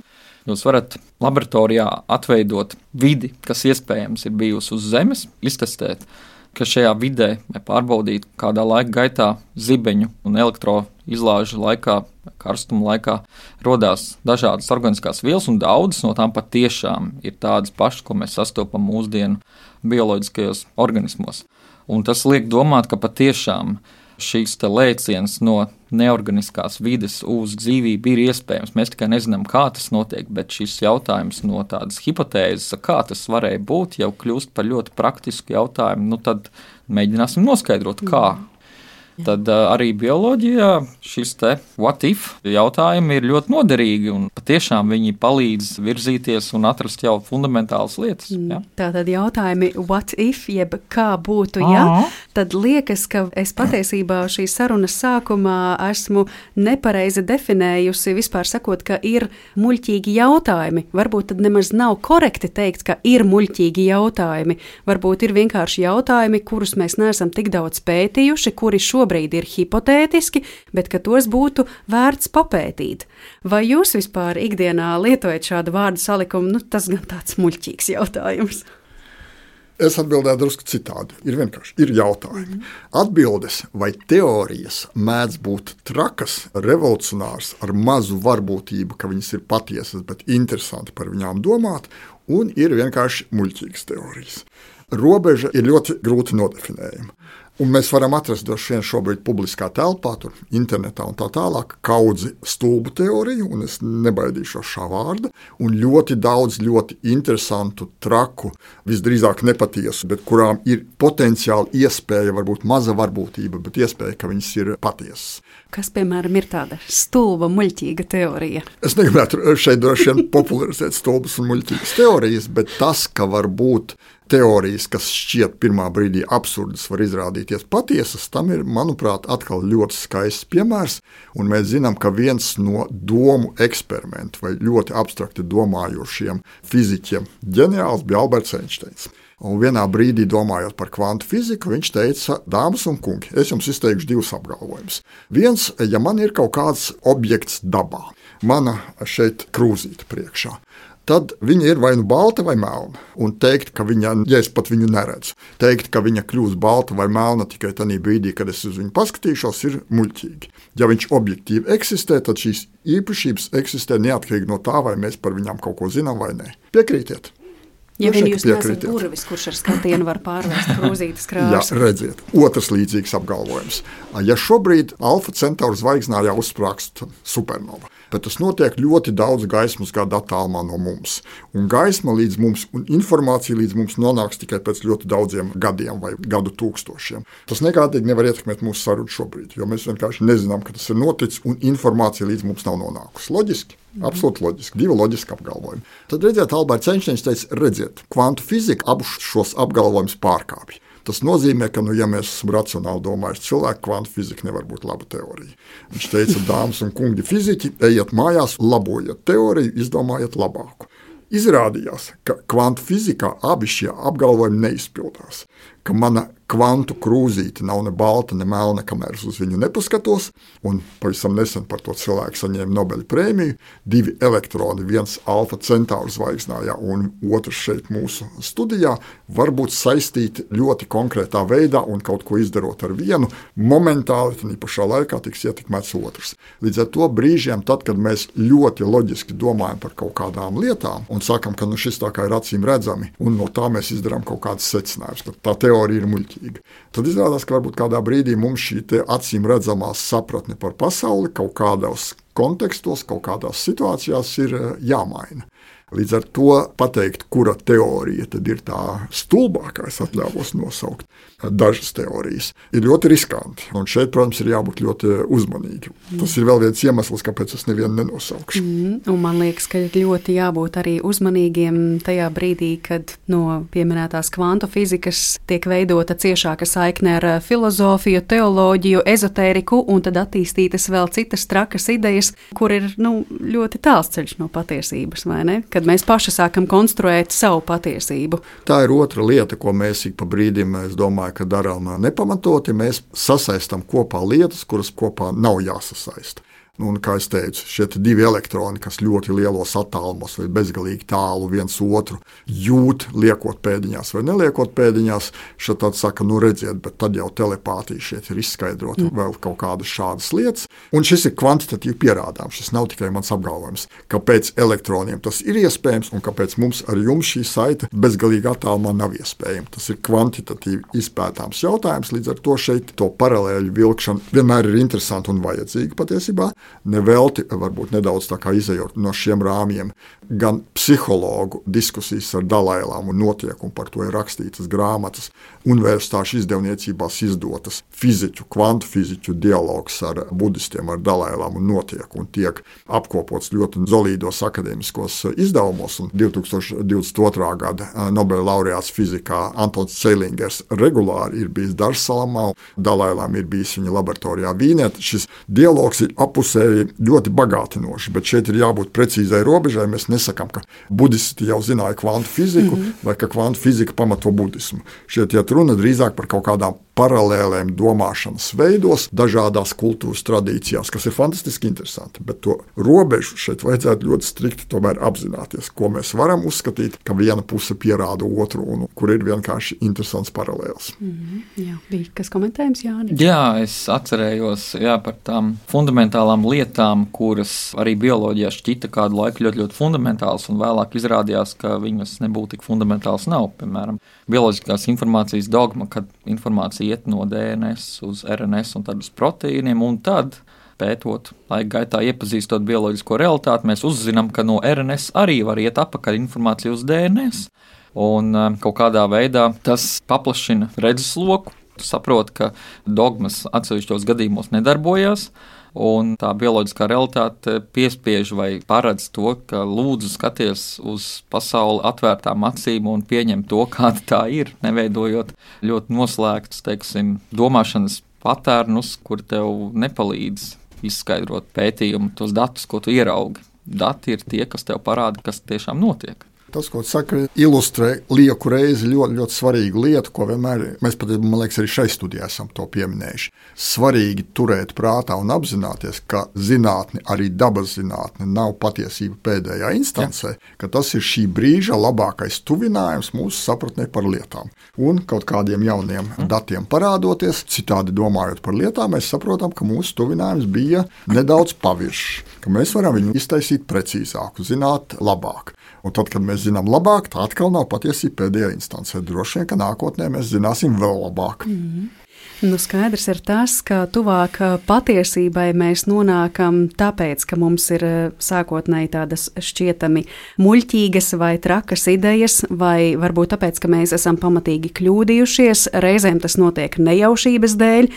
jūs varat laboratorijā atveidot vidi, kas iespējams ir bijusi uz Zemes, iztestēt, ka šajā vidē pārbaudīt kādā laika gaitā zibeņu un elektroizlāžu laikā, karstuma laikā rodās dažādas organiskās vielas, un daudzas no tām patiešām ir tādas pašas, ko mēs sastopam mūsdienu bioloģiskajos organismos. Un tas liek domāt, ka patiešām šīs lēciens no neorganiskās vides uz dzīvību ir iespējams. Mēs tikai nezinām, kā tas notiek, bet šis jautājums no tādas hipotēzes, kā tas varēja būt, jau kļūst par ļoti praktisku jautājumu. Tad mēģināsim noskaidrot, kā. Tad arī bioloģijā šis what if jautājumi ir ļoti noderīgi, un patiešām viņi palīdz virzīties un atrast jau fundamentālas lietas. Ja? Tātad jautājumi what if, jeb kā būtu, ja? Tad liekas, ka es patiesībā šīs sarunas sākumā esmu nepareizi definējusi, vispār sakot, ka ir muļķīgi jautājumi. Varbūt tad nemaz nav korekti teikt, ka ir muļķīgi jautājumi. Varbūt ir vienkārši jautājumi, kurus mēs neesam tik daudz pētījuši, kuri šobrīd ir hipotētiski, bet ka tos būtu vērts papētīt. Vai jūs vispār ikdienā lietojat šādu vārdu salikumu? Tas gan tāds muļķīgs jautājums. Es atbildēju drusku citādi. Ir vienkārši jautājumi. Atbildes vai teorijas mēdz būt trakas, revolucionārs, ar mazu varbūtību, ka viņas ir patiesas, bet interesanti par viņām domāt, un ir vienkārši muļķīgas teorijas. Robeža ir ļoti grūti nodefinējama. Un mēs varam atrast droši vien šobrīd publiskā telpā, tur internetā un tā tālāk, kaudzi stulbu teoriju, un es nebaidīšos šā vārda, un ļoti daudz ļoti interesantu, traku, visdrīzāk nepatiesu, bet kurām ir potenciāli iespēja, varbūt maza varbūtība, bet iespēja, ka viņas ir patiesas. Kas, piemēram, ir tāda stulba, muļķīga teorija? Es negribētu šeit droši vien popularizēt stulbas un muļķīgas teorijas, bet tas, ka var būt teorijas, kas šķiet pirmā brīdī absurdas, var izrādīties patiesas, tam ir, manuprāt, atkal ļoti skaists piemērs, un mēs zinām, ka viens no domu eksperimentu vai ļoti abstrakti domājošiem fiziķiem ģeniāls bija Alberts Einsteins. Un vienā brīdī, domājot par kvantu fiziku, viņš teica, dāmas un kungi, es jums izteikšu divus apgalvojumus. Viens, ja man ir kaut kāds objekts dabā, mana šeit krūzīte priekšā, tad viņa ir vai nu balta vai melna. Un teikt, ka viņa, ja es pat viņu neredzu, teikt, ka viņa kļūs balta vai melna tikai tajā brīdī, kad es uz viņu paskatīšos, ir muļķīgi. Ja viņš objektīvi eksistē, tad šīs īpašības eksistē neatkarīgi no tā, vai mēs par viņām kaut ko zinām vai nē. Piekrītiet? Ja vien jūs nesat burvis, kurš ar skatienu var pārvērst krūzītes krāsu. Jā, redziet, otrs līdzīgs apgalvojums. Ja šobrīd Alfa Centauri zvaigznājā uzsprāgst supernova, bet tas notiek ļoti daudz gaismas gadu attālumā no mums. Un gaisma līdz mums un informācija līdz mums nonāks tikai pēc ļoti daudziem gadiem vai gadu tūkstošiem. Tas nekādīgi nevar ietekmēt mūsu sarunu šobrīd, jo mēs vienkārši nezinām, ka tas ir noticis un informācija līdz mums nav nonākusi. Loģiski? Absolūti loģiski. Divi loģiski apgalvojumi. Tad redziet, Alberts Einsteins teica, redziet, kvantu fizika abus šos apgalvojumus pārkāpj. Tas nozīmē, ka, ja mēs esam racionāli domājuši cilvēki, kvantu fizika nevar būt laba teorija. Viņš teica, dāmas un kungi fiziķi, ejiet mājās, labojiet teoriju, izdomājiet labāku. Izrādījās, ka kvantu fizikā abi šie apgalvojumi neizpildās, ka mana kvantu krūzīte nav ne balta, ne melna, kamēr uz viņu nepaskatos, un pavisam nesen par to cilvēku saņēma Nobeļa prēmiju, 2 elektroni, viens Alfa Centauri zvaigznājā un otrs šeit mūsu studijā, var būt saistīti ļoti konkrētā veidā un kaut ko izdarot ar vienu, momentāli, tad pašā laikā tiks ietekmēts otrs. Līdz ar to brīžiem, tad, kad mēs ļoti loģiski domājam par kaut kādām lietām un sakam, ka šis tā kā ir acīm redzami, un no tā mēs izdarām kaut kādas secinājumus, ka tā teorija ir muļķīga. Tad izrādās, ka varbūt kādā brīdī mums šī acīm redzamā sapratne par pasauli kaut kādos kontekstos, kaut kādās situācijās ir jāmaina. Līdz ar to pateikt, kura teorija tad ir tā stulbākā, es atļāvos nosaukt dažas teorijas, ir ļoti riskanti. Un šeit, protams, ir jābūt ļoti uzmanīgi. Tas ir vēl viens iemesls, kāpēc es nevienu nenosaukšu. Un man liekas, ka ļoti jābūt arī uzmanīgiem tajā brīdī, kad no pieminētās kvantu fizikas tiek veidota ciešāka saikne ar filozofiju, teoloģiju, ezotēriku, un tad attīstītas vēl citas trakas idejas, kur ir ļoti tāls ceļš no patiesības, vai ne? Kad mēs paši sākam konstruēt savu patiesību. Tā ir otra lieta, ko mēs ik pa brīdim, es domāju, ka darām nepamatoti. Mēs sasaistam kopā lietas, kuras kopā nav jāsasaista. Un, kā es teicu, šie 2 elektroni, kas ļoti lielos attālumos vai bezgalīgi tālu viens otru jūt, liekot pēdiņās vai neliekot pēdiņās, šeit tad saka, redziet, bet tad jau telepātija šeit ir izskaidrota vēl kaut kādas šādas lietas. Un šis ir kvantitatīvi pierādāms, šis nav tikai mans apgalvojums, kāpēc elektroniem tas ir iespējams un kāpēc mums ar jums šī saite bezgalīgi attālumā nav iespējama. Tas ir kvantitatīvi izpētāms jautājums, līdz ar to šeit to paralēļu vilkšana vienmēr ir interesanta un vajadzīga patiesībā. Nevelti, varbūt nedaudz tā kā izejot no šiem rāmjiem, gan psihologu diskusijas ar Dalailāmu notiek, un par to ir rakstītas grāmatas, universitāšu izdevniecībās izdotas fiziķu, kvantu fiziķu dialogs ar budistiem, ar Dalailāmu notiek, un tiek apkopots ļoti solīdos akadēmiskos izdevumos, un 2022. Gada Nobela laureāts fizikā Antons Ceilingers regulāri ir bijis Darsalamā, Dalailām ir bijis viņa laboratorijā Vīnē. Šis dialogs ir ļoti bagātinoši, bet šeit ir jābūt precīzai robežai. Mēs nesakām, ka budisti jau zināja kvantu fiziku vai ka kvantu fizika pamato budismu. Šeit iet runa drīzāk par kaut kādām paralēlēm domāšanas veidos, dažādās kultūras tradīcijās, kas ir fantastiski interesanti, bet to robežu šeit vajadzētu ļoti strikti tomēr apzināties, ko mēs varam uzskatīt, ka viena puse pierāda otru un kur ir vienkārši interesants paralēls. Jā, bija kas komentējums, Jāni? Jā, es atcerējos par tām fundamentālām lietām, kuras arī bioloģijā šķita kādu laiku ļoti fundamentāls, un vēlāk izrādījās, ka viņas nebūtu tik fundamentāls nav. Piemēram, bioloģiskās informācijas dogma, kad informācija iet no DNS uz RNS un tad uz proteīniem, un tad, pētot, laika gaitā iepazīstot bioloģisko realitāti, mēs uzzinām, ka no RNS arī var iet atpakaļ informācija uz DNS. Un kaut kādā veidā tas paplašina redzesloku, saprot, ka dogmas atsevišķos gadījumos nedarbojās, un tā bioloģiskā realitāte piespiež vai paredz to, ka lūdzu skaties uz pasauli atvērtām acīm un pieņem to, kāda tā ir, neveidojot ļoti noslēgtus, domāšanas patērnus, kur tev nepalīdz izskaidrot pētījumu, tos datus, ko tu ieraugi. Dati ir tie, kas tev parāda, kas tiešām notiek. Tas, ko saka, ilustrē lieku reizi ļoti svarīgu lietu, ko vienmēr, mēs pat, man liekas, arī šai studijā esam to pieminējuši. Svarīgi turēt prātā un apzināties, ka zinātne, arī dabas zinātne, nav patiesība pēdējā instancē, ka tas ir šī brīža labākais tuvinājums mūsu sapratnē par lietām. Un kaut kādiem jauniem datiem parādoties, citādi domājot par lietām, mēs saprotam, ka mūsu tuvinājums bija nedaudz paviršs, ka mēs varam viņu iztaisīt precīzāku, zināt labāk. Un tad, kad mēs zinām labāk, tā atkal nav patiesība pēdējā instancē. Droši vien, ka nākotnē mēs zināsim vēl labāk. Skaidrs ir tas, ka tuvāk patiesībai mēs nonākam tāpēc, ka mums ir sākotnēji tādas šķietami muļķīgas vai trakas idejas, vai varbūt tāpēc, ka mēs esam pamatīgi kļūdījušies, reizēm tas notiek nejaušības dēļ.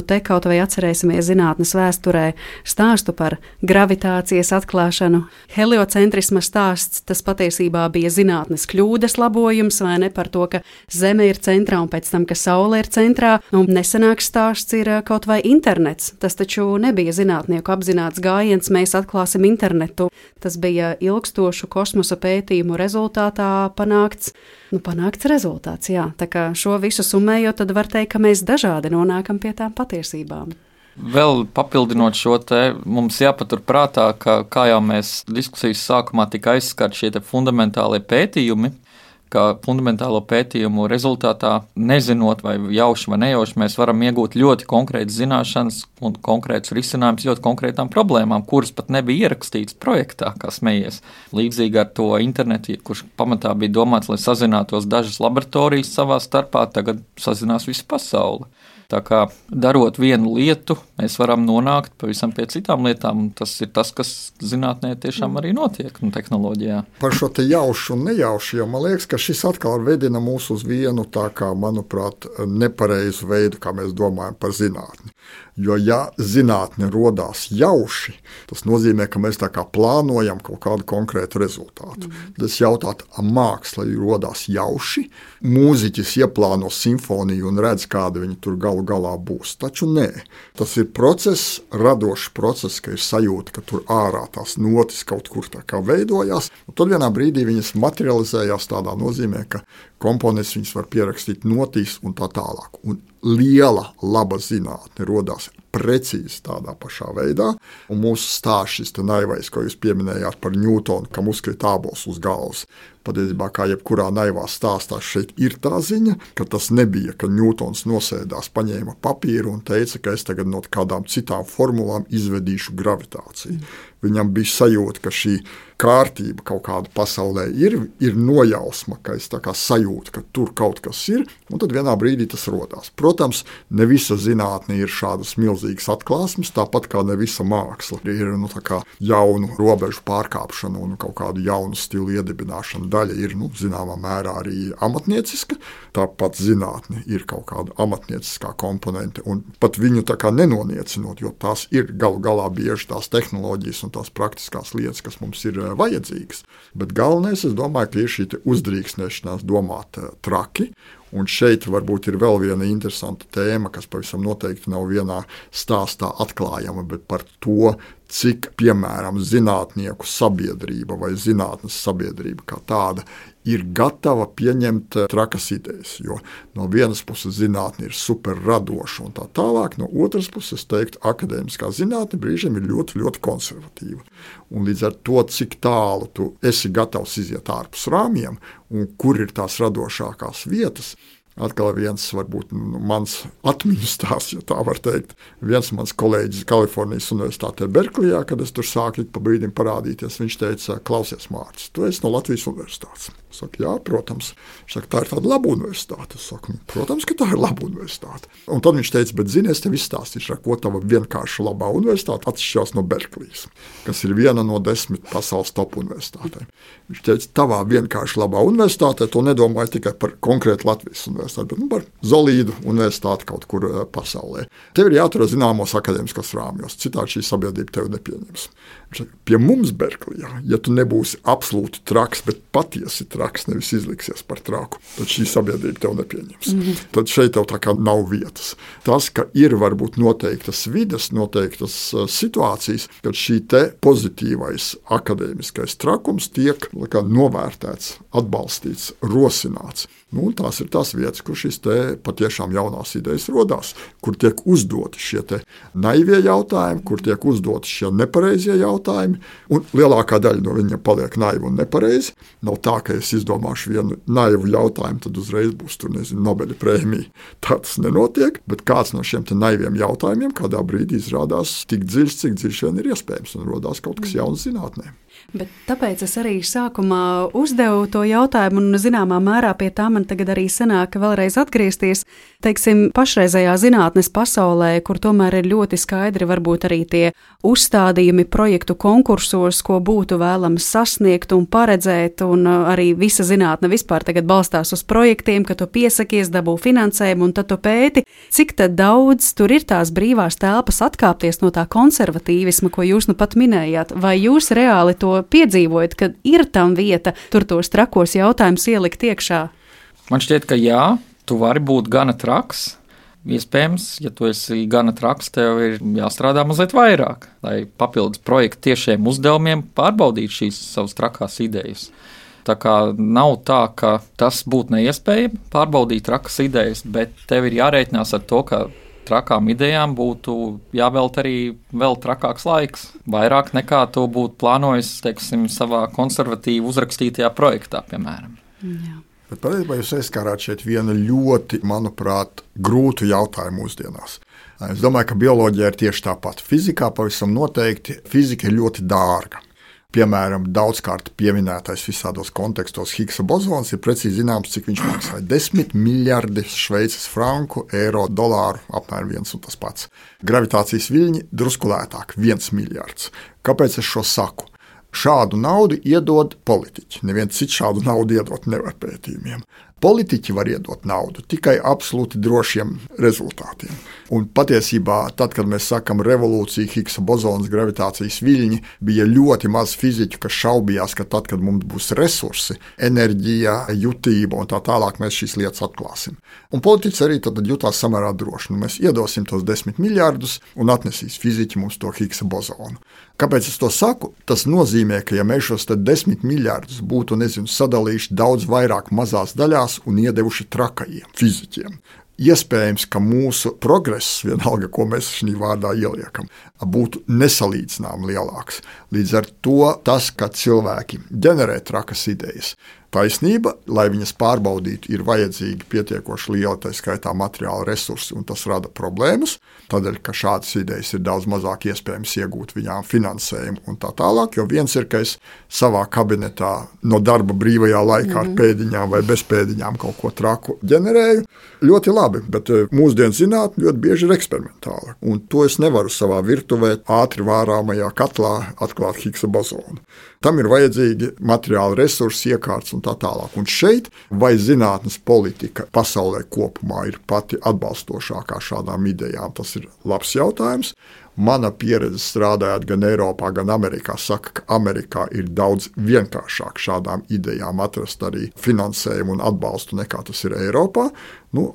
Te kaut vai atcerēsimies zinātnes vēsturē stāstu par gravitācijas atklāšanu. Heliocentrisma stāsts, tas patiesībā bija zinātnes kļūdas labojums, vai ne, par to, ka Zeme ir centrā un pēc tam, ka Saule ir centrā. Nesenāks stāsts ir kaut vai internets. Tas taču nebija zinātnieku apzināts gājiens, mēs atklāsim internetu. Tas bija ilgstošu kosmosa pētījumu rezultātā panākts rezultāts, jā. Tā kā šo visu summējot, tad var teikt, ka mēs dažādi nonākam pie tām patiesībām. Vēl papildinot šo te, mums jāpatur prātā, ka kā jau mēs diskusijas sākumā tika aizskart šie te fundamentālie pētījumi, ka fundamentālo pētījumu rezultātā, nezinot vai jauši vai nejauši, mēs varam iegūt ļoti konkrētas zināšanas un konkrētus risinājumus ļoti konkrētām problēmām, kuras pat nebija ierakstītas projektā, kā smējies. Līdzīgi ar to internetu, kurš pamatā bija domāts, lai sazinātos dažas laboratorijas savā starpā, tagad sazinās visu pasauli. Tā kā darot vienu lietu, mēs varam nonākt pavisam pie citām lietām. Tas ir tas, kas zinātnē tiešām arī notiek un tehnoloģijā. Par šo te jaušu un nejaušu, jo man liekas, ka šis atkal vedina mūs uz vienu tā kā, manuprāt, nepareizu veidu, kā mēs domājam par zinātni. Jo, ja zinātne rodās jauši, tas nozīmē, ka mēs tā kā plānojam kaut kādu konkrētu rezultātu. Tad es jautātu, māksla rodās jauši, mūziķis ieplāno simfoniju un redz, kāda viņa tur galu galā būs. Taču nē, tas ir process, radošs process, ka ir sajūta, ka tur ārā tās notis kaut kur tā kā veidojās, un tad vienā brīdī viņas materializējās tādā nozīmē, ka komponists viņas var pierakstīt notīs un tā tālāk. Un liela, laba zinātne rodās precīzi tādā pašā veidā, un mūsu stāsts šis te naivais, ko jūs pieminējāt par Ņūtonu, kam uzkrita ābols uz galvas. Patiesībā, kā jebkurā naivā stāstā, šeit ir tā ziņa, ka tas nebija, ka Ņūtons nosēdās, paņēma papīru un teica, ka es tagad no kādām citām formulām izvedīšu gravitāciju. Viņam bija sajūta, ka šī kārtība kaut kāda pasaulē ir nojausma, ka es tā kā sajūtu, ka tur kaut kas ir, un tad vienā brīdī tas rodās. Protams, ne visa zinātne ir šādas milzīgas atklāsmes, tāpat kā ne visa māksla ir tā kā jaunu robežu pārkāpšana un kaut kādu jaunu stilu iedibināšana. Daļa ir, zināmā mērā arī amatnieciska, tāpat zinātne ir kaut kāda amatnieciskā komponente, un pat viņu tā kā nenoniecinot, jo tās ir galu galā bieži tās tehnoloģijas un tās praktiskās lietas, kas mums ir vajadzīgas. Bet galvenais, es domāju, ka ir šī uzdrīkstēšanās domāt traki, un šeit varbūt ir vēl viena interesanta tēma, kas pavisam noteikti nav vienā stāstā atklājama, bet par to, cik, piemēram, zinātnieku sabiedrība vai zinātnes sabiedrība kā tāda ir gatava pieņemt trakas idejas, jo no vienas puses zinātne ir super radoša un tā tālāk, no otras puses, teiktu, akadēmiskā zinātne brīžiem ir ļoti, ļoti konservatīva. Un līdz ar to, cik tālu tu esi gatavs iziet ārpus rāmjiem un kur ir tās radošākās vietas, atkal viens, varbūt mans atmiņu stāsts, ja tā var teikt. Viens mans kolēģis Kalifornijas Universitātē Berklijā, kad es tur sāku pa brīdim parādīties, viņš teica, klausies, Mārcis, tu esi no Latvijas Universitātes. Es saku, jā, protams. Viņš saka, tā ir tāda laba universitāte. Es saku, protams, ka tā ir laba universitāte. Un tad viņš teica, bet zini, es tev izstāstīšu, ko tava vienkārši labā universitāte atšķirās no Berklijas, kas ir viena no 10 pasaules top universitātēm. Viņš teica, tavā vienkārši labā universitātē to nedomāju tikai par konkrētu Latvijas universitāti, bet par solīdu universitāti kaut kur pasaulē. Tev ir jātur zināmos akadēmiskos rāmjos, citādi šī sabiedrība tevi nepieņems. Pie mums Berklijā, ja tu nebūsi absolūti traks, bet patiesi traks, nevis izliksies par traku, tad šī sabiedrība tev nepieņems. Tad šeit tev tā kā nav vietas. Tas, ka ir varbūt noteiktas vides, noteiktas situācijas, kad šī te pozitīvais akadēmiskais trakums tiek novērtēts, atbalstīts, rosināts. Tās ir tās vietas, kur šīs te patiešām jaunās idejas rodās, kur tiek uzdoti šie te naivie jautājumi, kur tiek uzdoti šie nepareizie jautājumi, un lielākā daļa no viņiem paliek naivi un nepareizi. Nav tā, ka es izdomāšu vienu naivu jautājumu, tad uzreiz būs tur, Nobeļa prēmija. Tā tas nenotiek, bet kāds no šiem te naiviem jautājumiem kādā brīdī izrādās tik dziļš, cik dziļš vien ir iespējams, un rodās kaut kas jauns zinātnē. Bet tāpēc es arī sākumā uzdevu to jautājumu, un zināmā mērā pie tā man tagad arī sanāk vēlreiz atgriezties. Teiksim, pašreizējā zinātnes pasaulē, kur tomēr ir ļoti skaidri varbūt arī tie uzstādījumi projektu konkursos, ko būtu vēlams sasniegt un paredzēt, un arī visa zinātne vispār tagad balstās uz projektiem, ka tu piesakies, dabū finansējumu un tad tu pēti. Cik tad daudz tur ir tās brīvās telpas atkāpties no tā konservatīvisma, ko jūs nu pat minējāt? Vai jūs reāli to piedzīvojat, kad ir tam vieta, tur tos trakos jautājumus ielikt iekšā? Man šķiet, ka jā, tu vari būt gana traks. Iespējams, ja tu esi gana traks, tev ir jāstrādā mazliet vairāk, lai papildus projektu tiešiem uzdevumiem pārbaudītu šīs savas trakās idejas. Tā kā nav tā, ka tas būtu neiespējami pārbaudīt trakas idejas, bet tev ir jārēķinās ar to, ka trakām idejām būtu jāvelt arī vēl trakāks laiks. Vairāk nekā to būtu plānojis, teiksim, savā konservatīvi uzrakstītajā projektā, piemēram. Jā. Bet patiesībā jūs aizskārāt šeit vienu ļoti, manuprāt, grūtu jautājumu mūsdienās. Es domāju, ka bioloģija ir tieši tāpat. Fizikā pavisam noteikti fizika ir ļoti dārga. Piemēram, daudzkārt pieminētais visādos kontekstos Higgsa bozons ir precīzi zināms, cik viņš maksāja. 10 miljardi šveices franku, eiro, dolāru, apmēram viens un tas pats. Gravitācijas viļņi drusku lētāk, 1 miljards. Kāpēc es šo saku? Šādu naudu iedod politiķi. Neviens cits šādu naudu iedot nevar pētījumiem. Politiķi var iedot naudu tikai absolūti drošiem rezultātiem. Un patiesībā, tad, kad mēs sakam revolūcija, Higgsa bozons, gravitācijas viļņi, bija ļoti maz fiziķu, kas šaubījās, ka tad, kad mums būs resursi, enerģija, jutība un tā tālāk, mēs šīs lietas atklāsim. Un politiķis arī tad jutās samērā droši. Nu, mēs iedosim tos 10 miljardus un atnesīs fiziķi mums to Higgsa bozonu. Kāpēc es to saku? Tas nozīmē, ka ja mēs šos 10 miljardus būtu, sadalījuši daudz vairāk mazās daļās un iedevuši trakajiem fiziķiem, iespējams, ka mūsu progress, vienalga, ko mēs šī vārdā ieliekam, būtu nesalīdzināmi lielāks. Līdz ar to tas, ka cilvēki ģenerē trakas idejas, taisnība, lai viņas pārbaudītu, ir vajadzīgi pietiekoši liela, tā skaitā materiāla resursi, un tas rada problēmas, tādēļ, ka šādas idejas ir daudz mazāk iespējams iegūt viņām finansējumu un tā tālāk, jo viens ir, ka es savā kabinetā no darba brīvajā laikā ar pēdiņām vai bez pēdiņām kaut ko traku ģenerēju, ļoti labi, bet mūsdienu zinātne ļoti bieži ir eksperimentāla, un to es nevaru savā virtuvē ātri vārāmajā katlā atklāt Higgsa bozonu. Tam ir vajadzīgi materiāli resursi, iekārts un tā tālāk. Un šeit vai zinātnes politika pasaulē kopumā ir pati atbalstošākā šādām idejām, tas ir labs jautājums. Mana pieredze strādājot gan Eiropā, gan Amerikā saka, ka Amerikā ir daudz vienkāršāk šādām idejām atrast arī finansējumu un atbalstu nekā tas ir Eiropā.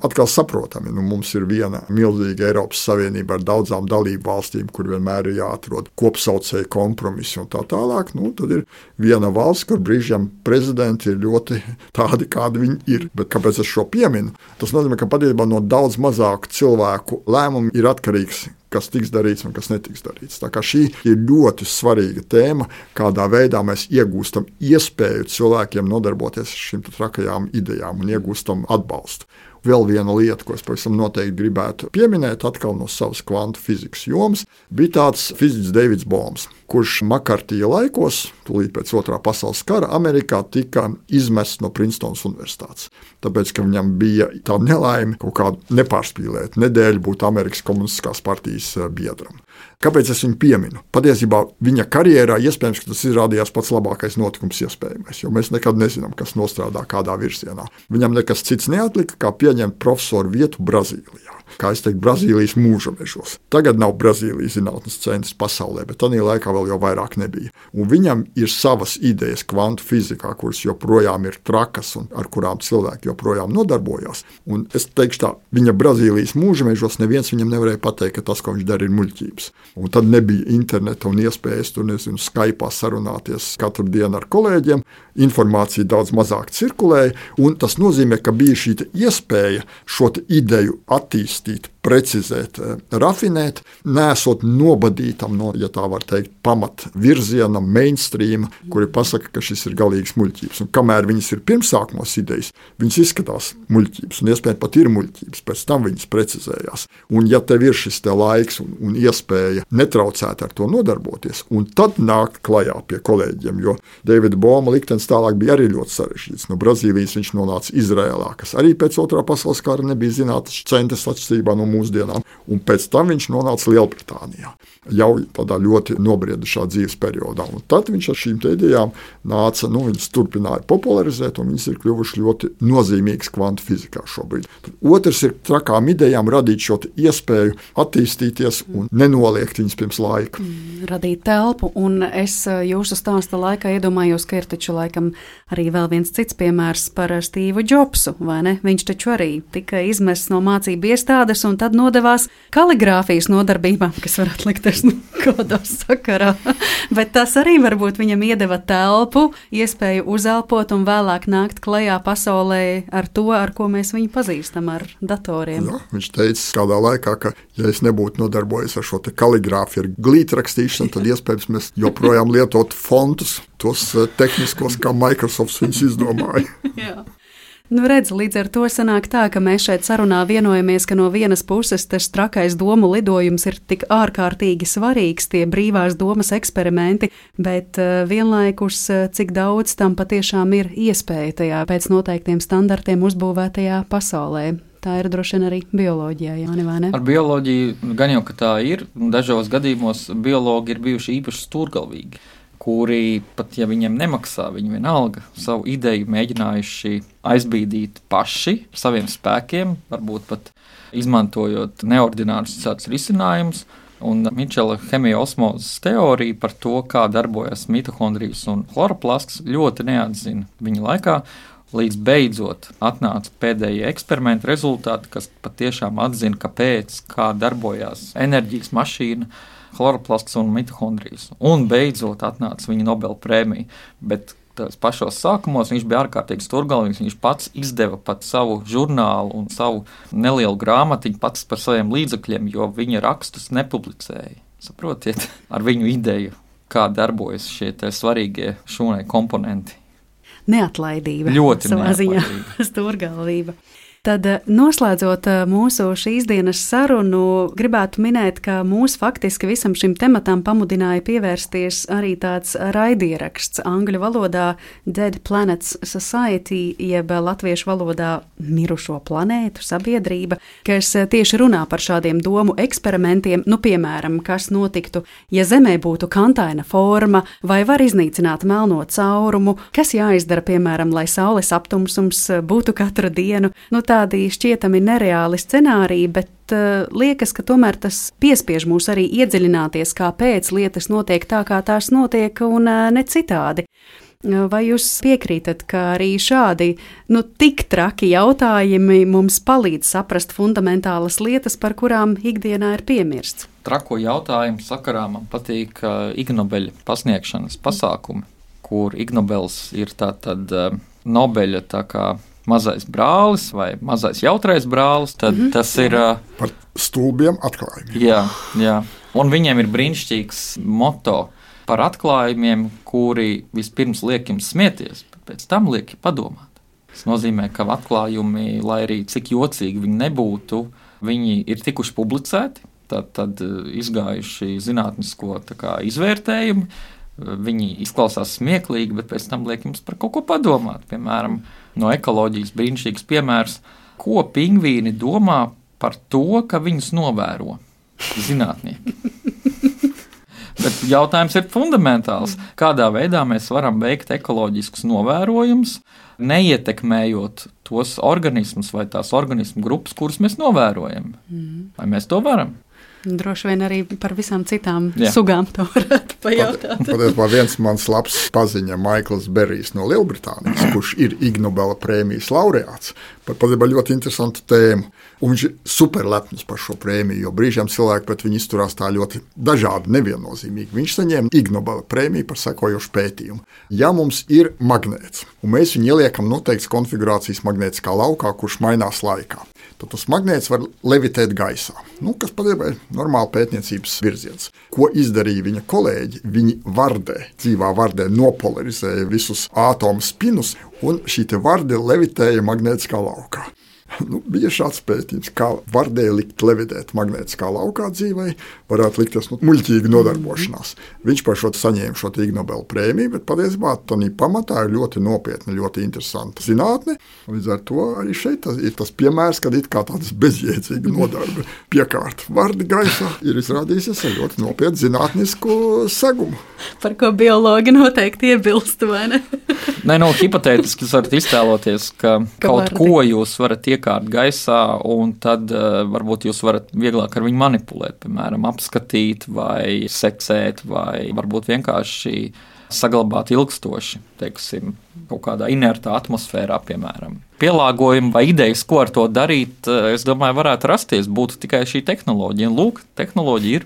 Atkal saprotami, mums ir viena milzīga Eiropas Savienība ar daudzām dalību valstīm, kur vienmēr ir jāatrod kopsaucēju kompromisi un tā tālāk. Tad ir viena valsts, kur brīžiem prezidenti ir ļoti tādi, kādi viņi ir. Bet kāpēc es šo pieminu? Tas nozīmē, ka patiesībā no daudz mazāku cilvēku lēmumu ir atkarīgs, kas tiks darīts un kas netiks darīts. Tā kā šī ir ļoti svarīga tēma, kādā veidā mēs iegūstam iespēju cilvēkiem nodarboties ar šīm trakajām idejām un iegūstam atbalstu. Vēl viena lieta, ko es pavisam noteikti gribētu pieminēt, atkal no savas kvantu fizikas jomas, bija tāds fiziķis Deivids Bohms, kurš Makartija laikos, tūlīt pēc Otrā pasaules kara, Amerikā tika izmests no Princetonas universitātes. Tāpēc, ka viņam bija tā nelaime kaut kādu nepārspīlēt nedēļu būt Amerikas Komunistiskās partijas biedram. Kāpēc es viņu pieminu? Patiesībā viņa karjerā iespējams, ka tas izrādījās pats labākais notikums iespējamais, jo mēs nekad nezinām, kas nostrādā kādā virzienā. Viņam nekas cits neatlika, kā pieņemt profesoru vietu Brazīlijā. Kā es teiktu, Brazīlijas mūža mežos. Tagad nav Brazīlijas zinātnes centrs pasaulē, bet tajā laikā vēl jau vairāk nebija. Un viņam ir savas idejas kvantu fizikā, kuras joprojām ir trakas un ar kurām cilvēki joprojām nodarbojās. Un es teikšu tā, viņa Brazīlijas mūža mežos neviens viņam nevarēja pateikt, ka tas, ko viņš dara, ir muļķības. Un tad nebija interneta un iespējas tur, Skype'ā sarunāties katru dienu ar kolēģiem. Informācija daudz mazāk cirkulēja, un tas nozīmē, ka bija šī iespēja šo ideju attīstīt attīstīt, precizēt, rafinēt, nesot nobadītam no, ja tā var teikt, pamat virziena, mainstreama, kuri pasaka, ka šis ir galīgs muļķības. Un kamēr viņas ir pirmsākumos idejas, viņas izskatās muļķības, un iespējams pat ir muļķības, pēc tam viņas precizējās. Un ja tev ir šis te laiks un iespēja netraucēt ar to nodarboties, un tad nākt klajā pie kolēģiem, jo Davida Boma liktenis tālāk bija arī ļoti sarežģīts. No Brazīlijas viņš nonāca Izrēlā, kas arī pēc otrā pasaules kara nebija zinātnes centrs atšķirībā no mūsdienām, un pēc tam viņš nonāca Lielbritānijā, jau tādā ļoti nobriedušā dzīves periodā. Un tad viņš ar šīm idejām nāca, viņas turpināja popularizēt, un viņas ir kļuvušas ļoti nozīmīgas kvantu fizikā šobrīd. Tad otrs ir trakām idejām radīt šo iespēju attīstīties un nenoliegt viņas pirms laika. Radīt telpu, un es jūsu stāsta laikā iedomājos, ka ir taču laikam arī vēl viens cits piemērs par Stīvu Džobsu, vai ne? Viņš taču arī tika izmests no mācību iestādes un tad nodevās kaligrāfijas nodarbībām, kas varētu likties kādā sakarā. Bet tas arī varbūt viņam iedeva telpu, iespēju uzelpot un vēlāk nākt klajā pasaulē ar to, ar ko mēs viņu pazīstam, ar datoriem. Jā, viņš teica kādā laikā, ka ja es nebūtu nodarbojies ar šo te kaligrāfiju, ar glītrakstīšanu, tad iespējams mēs joprojām lietotu fontus, tos tehniskos, kā Microsoft viņus izdomāja. Jā. Redz, līdz ar to sanāk tā, ka mēs šeit sarunā vienojamies, ka no vienas puses tas trakais domu lidojums ir tik ārkārtīgi svarīgs, tie brīvās domas eksperimenti, bet vienlaikus cik daudz tam patiešām ir iespēja tajā pēc noteiktiem standartiem uzbūvētajā pasaulē. Tā ir droši vien arī bioloģijā, Jāni, vai ne? Ar bioloģiju gan jau, ka tā ir, dažos gadījumos biologi ir bijuši īpaši stūrgalvīgi, kuri pat, ja viņiem nemaksā, viņi vienalga savu ideju mēģinājuši aizbīdīt paši saviem spēkiem, varbūt pat izmantojot neordinārus cits risinājumus. Un Mičela hemija-osmozes teorija par to, kā darbojas mitohondrijas un chloroplasts, ļoti neatzina viņa laikā, līdz beidzot atnāca pēdējie eksperimenti rezultāti, kas patiešām atzina, kāpēc, kā darbojās enerģijas mašīna, chloroplasts un mitohondrijas. Un beidzot atnāca viņa Nobela prēmija. Bet tās pašos sākumos viņš bija ārkārtīgi stūrgalvīgs. Viņš pats izdeva pat savu žurnālu un savu nelielu grāmatiņu pats par saviem līdzekļiem, jo viņa rakstus nepublicēja. Saprotiet, ar viņu ideju, kā darbojas šie svarīgie šūnai komponenti. Neatlaidība. Ļoti savā ziņā. Stūrgalvība. Tad, noslēdzot mūsu šīs dienas sarunu, gribētu minēt, ka mūs faktiski visam šim tematam pamudināja pievērsties arī tāds raidieraksts angļu valodā Dead Planets Society, jeb latviešu valodā mirušo planētu sabiedrība, kas tieši runā par šādiem domu eksperimentiem, piemēram, kas notiktu, ja Zemē būtu kantaina forma, vai var iznīcināt melno caurumu, kas jāizdara, piemēram, lai saules aptumsums būtu katru dienu, tādi šķietami nereāli scenāriji, bet liekas, ka tomēr tas piespiež mūs arī iedziļināties, kāpēc lietas notiek tā, kā tās notiek, un ne citādi. Vai jūs piekrītat, ka arī šādi tik traki jautājumi mums palīdz saprast fundamentālas lietas, par kurām ikdienā ir piemirsts? Trako jautājumu sakarā man patīk Ignobeļa pasniegšanas pasākumi, kur Ignobels ir tātad Nobeļa tā kā mazais brālis vai mazais jautrais brālis, tad tas ir par stulbiem atklājumiem. Jā. Un viņiem ir brīnišķīgs moto par atklājumiem, kuri vispirms liek jums smieties, bet pēc tam liek padomāt. Tas nozīmē, ka atklājumi, lai arī cik jocīgi viņi nebūtu, viņi ir tikuši publicēti, tad izgājuši zinātnisko izvērtējumu. Viņi izklausās smieklīgi, bet pēc tam liek jums par kaut ko padomāt. Piemēram, no ekoloģijas brīnišķīgs piemērs, ko pingvīni domā par to, ka viņus novēro zinātnieki. Bet jautājums ir fundamentāls. Kādā veidā mēs varam veikt ekoloģiskus novērojumus, neietekmējot tos organismus vai tās organismu grupas, kuras mēs novērojam? Vai mēs to varam? Droši vien arī par visām citām sugām to varētu pajautāt. Patiesībā viens mans labs paziņa, Maikls Berijs no Lielbritānijas, kurš ir Ig Nobela prēmijas laureāts, patiesībā ļoti interesantu tēmu. Un viņš ir superlepns par šo prēmiju, jo brīžiem cilvēki pret viņu izturās tā ļoti dažādi, neviennozīmīgi. Viņš saņēma Ig Nobela prēmiju par sekojošu pētījumu. Ja mums ir magnēts, un mēs viņu ieliekam noteikts konfigurācijas magnētiskā laukā, kurš mainās laikā, tad tas magnēts var levitēt gaisā, kas patiesībā ir normāli pētniecības virziens. Ko izdarīja viņa kolēģi? Viņi dzīvā vardē nopolarizēja visus ātomu spinus, un šī varde levitēja magnētiskā laukā. Bija šāds pētījums, kā vardē likt levitēt magnētiskā laukā dzīvē, varētu likties muļķīga nodarbošanās. Viņš par šo saņēma šo Ig Nobela prēmiju, bet patiesībā tā pamatā ir ļoti nopietna, ļoti interesanta zinātne. Līdz ar to arī šeit ir tas piemērs, kad it kā tādas bezjēdzīga nodarbe piekārt vardi gaisā ir izrādījusies ar ļoti nopietnu zinātnisku segumu. Par ko biologi noteikti iebilst, vai ne? Nē, hipotētiski jūs varat iztēloties, ka kaut vardi. Ko jūs varat iekārt gaisā, un tad varbūt jūs varat vieglāk ar viņu manipulēt, piemēram, apskatīt vai seksēt, vai varbūt vienkārši saglabāt ilgstoši, teiksim, kaut kādā inertā atmosfērā, piemēram. Pielāgojumi vai idejas, ko ar to darīt, es domāju, varētu rasties, būtu tikai šī tehnoloģija. Lūk, tehnoloģija ir.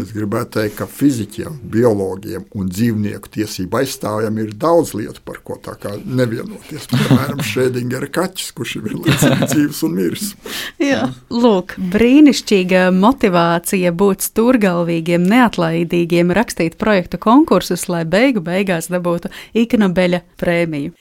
Es gribētu teikt, ka fiziķiem, biologiem un dzīvnieku tiesību aizstāvjiem ir daudz lietu, par ko tā kā nevienoties. Piemēram, Šrēdingera kaķis, kurš ir vienlaicīgi dzīvs un miris. Jā. Lūk, brīnišķīga motivācija būt stūrgalvīgiem, neatlaidīgiem, rakstīt projektu konkursus, lai beigās dabūtu Ig Nobeļa prēmiju.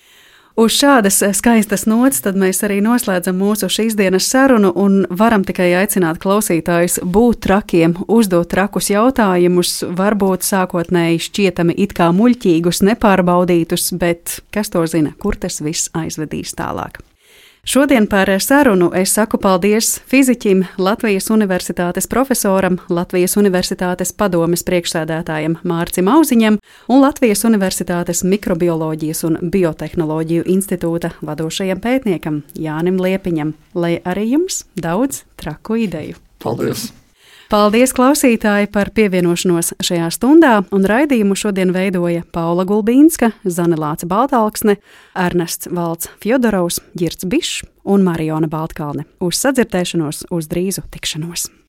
Uz šādas skaistas nots tad mēs arī noslēdzam mūsu šīs dienas sarunu un varam tikai aicināt klausītājus būt trakiem, uzdot trakus jautājumus, varbūt sākotnēji šķietami it kā muļķīgus, nepārbaudītus, bet kas to zina, kur tas viss aizvedīs tālāk. Šodien par sarunu es saku paldies fiziķim, Latvijas Universitātes profesoram, Latvijas Universitātes padomes priekšsēdētājam Mārcim Auziņam un Latvijas Universitātes mikrobioloģijas un biotehnoloģiju institūta vadošajam pētniekam Jānim Liepiņam, lai arī jums daudz traku ideju. Paldies! Paldies, klausītāji, par pievienošanos šajā stundā, un raidījumu šodien veidoja Paula Gulbīnska, Zane Lāce Baltalksne, Ernests Valds Fjodorovs, Girts Bišs un Mariona Baltkalne. Uz sadzirdēšanos, uz drīzu tikšanos!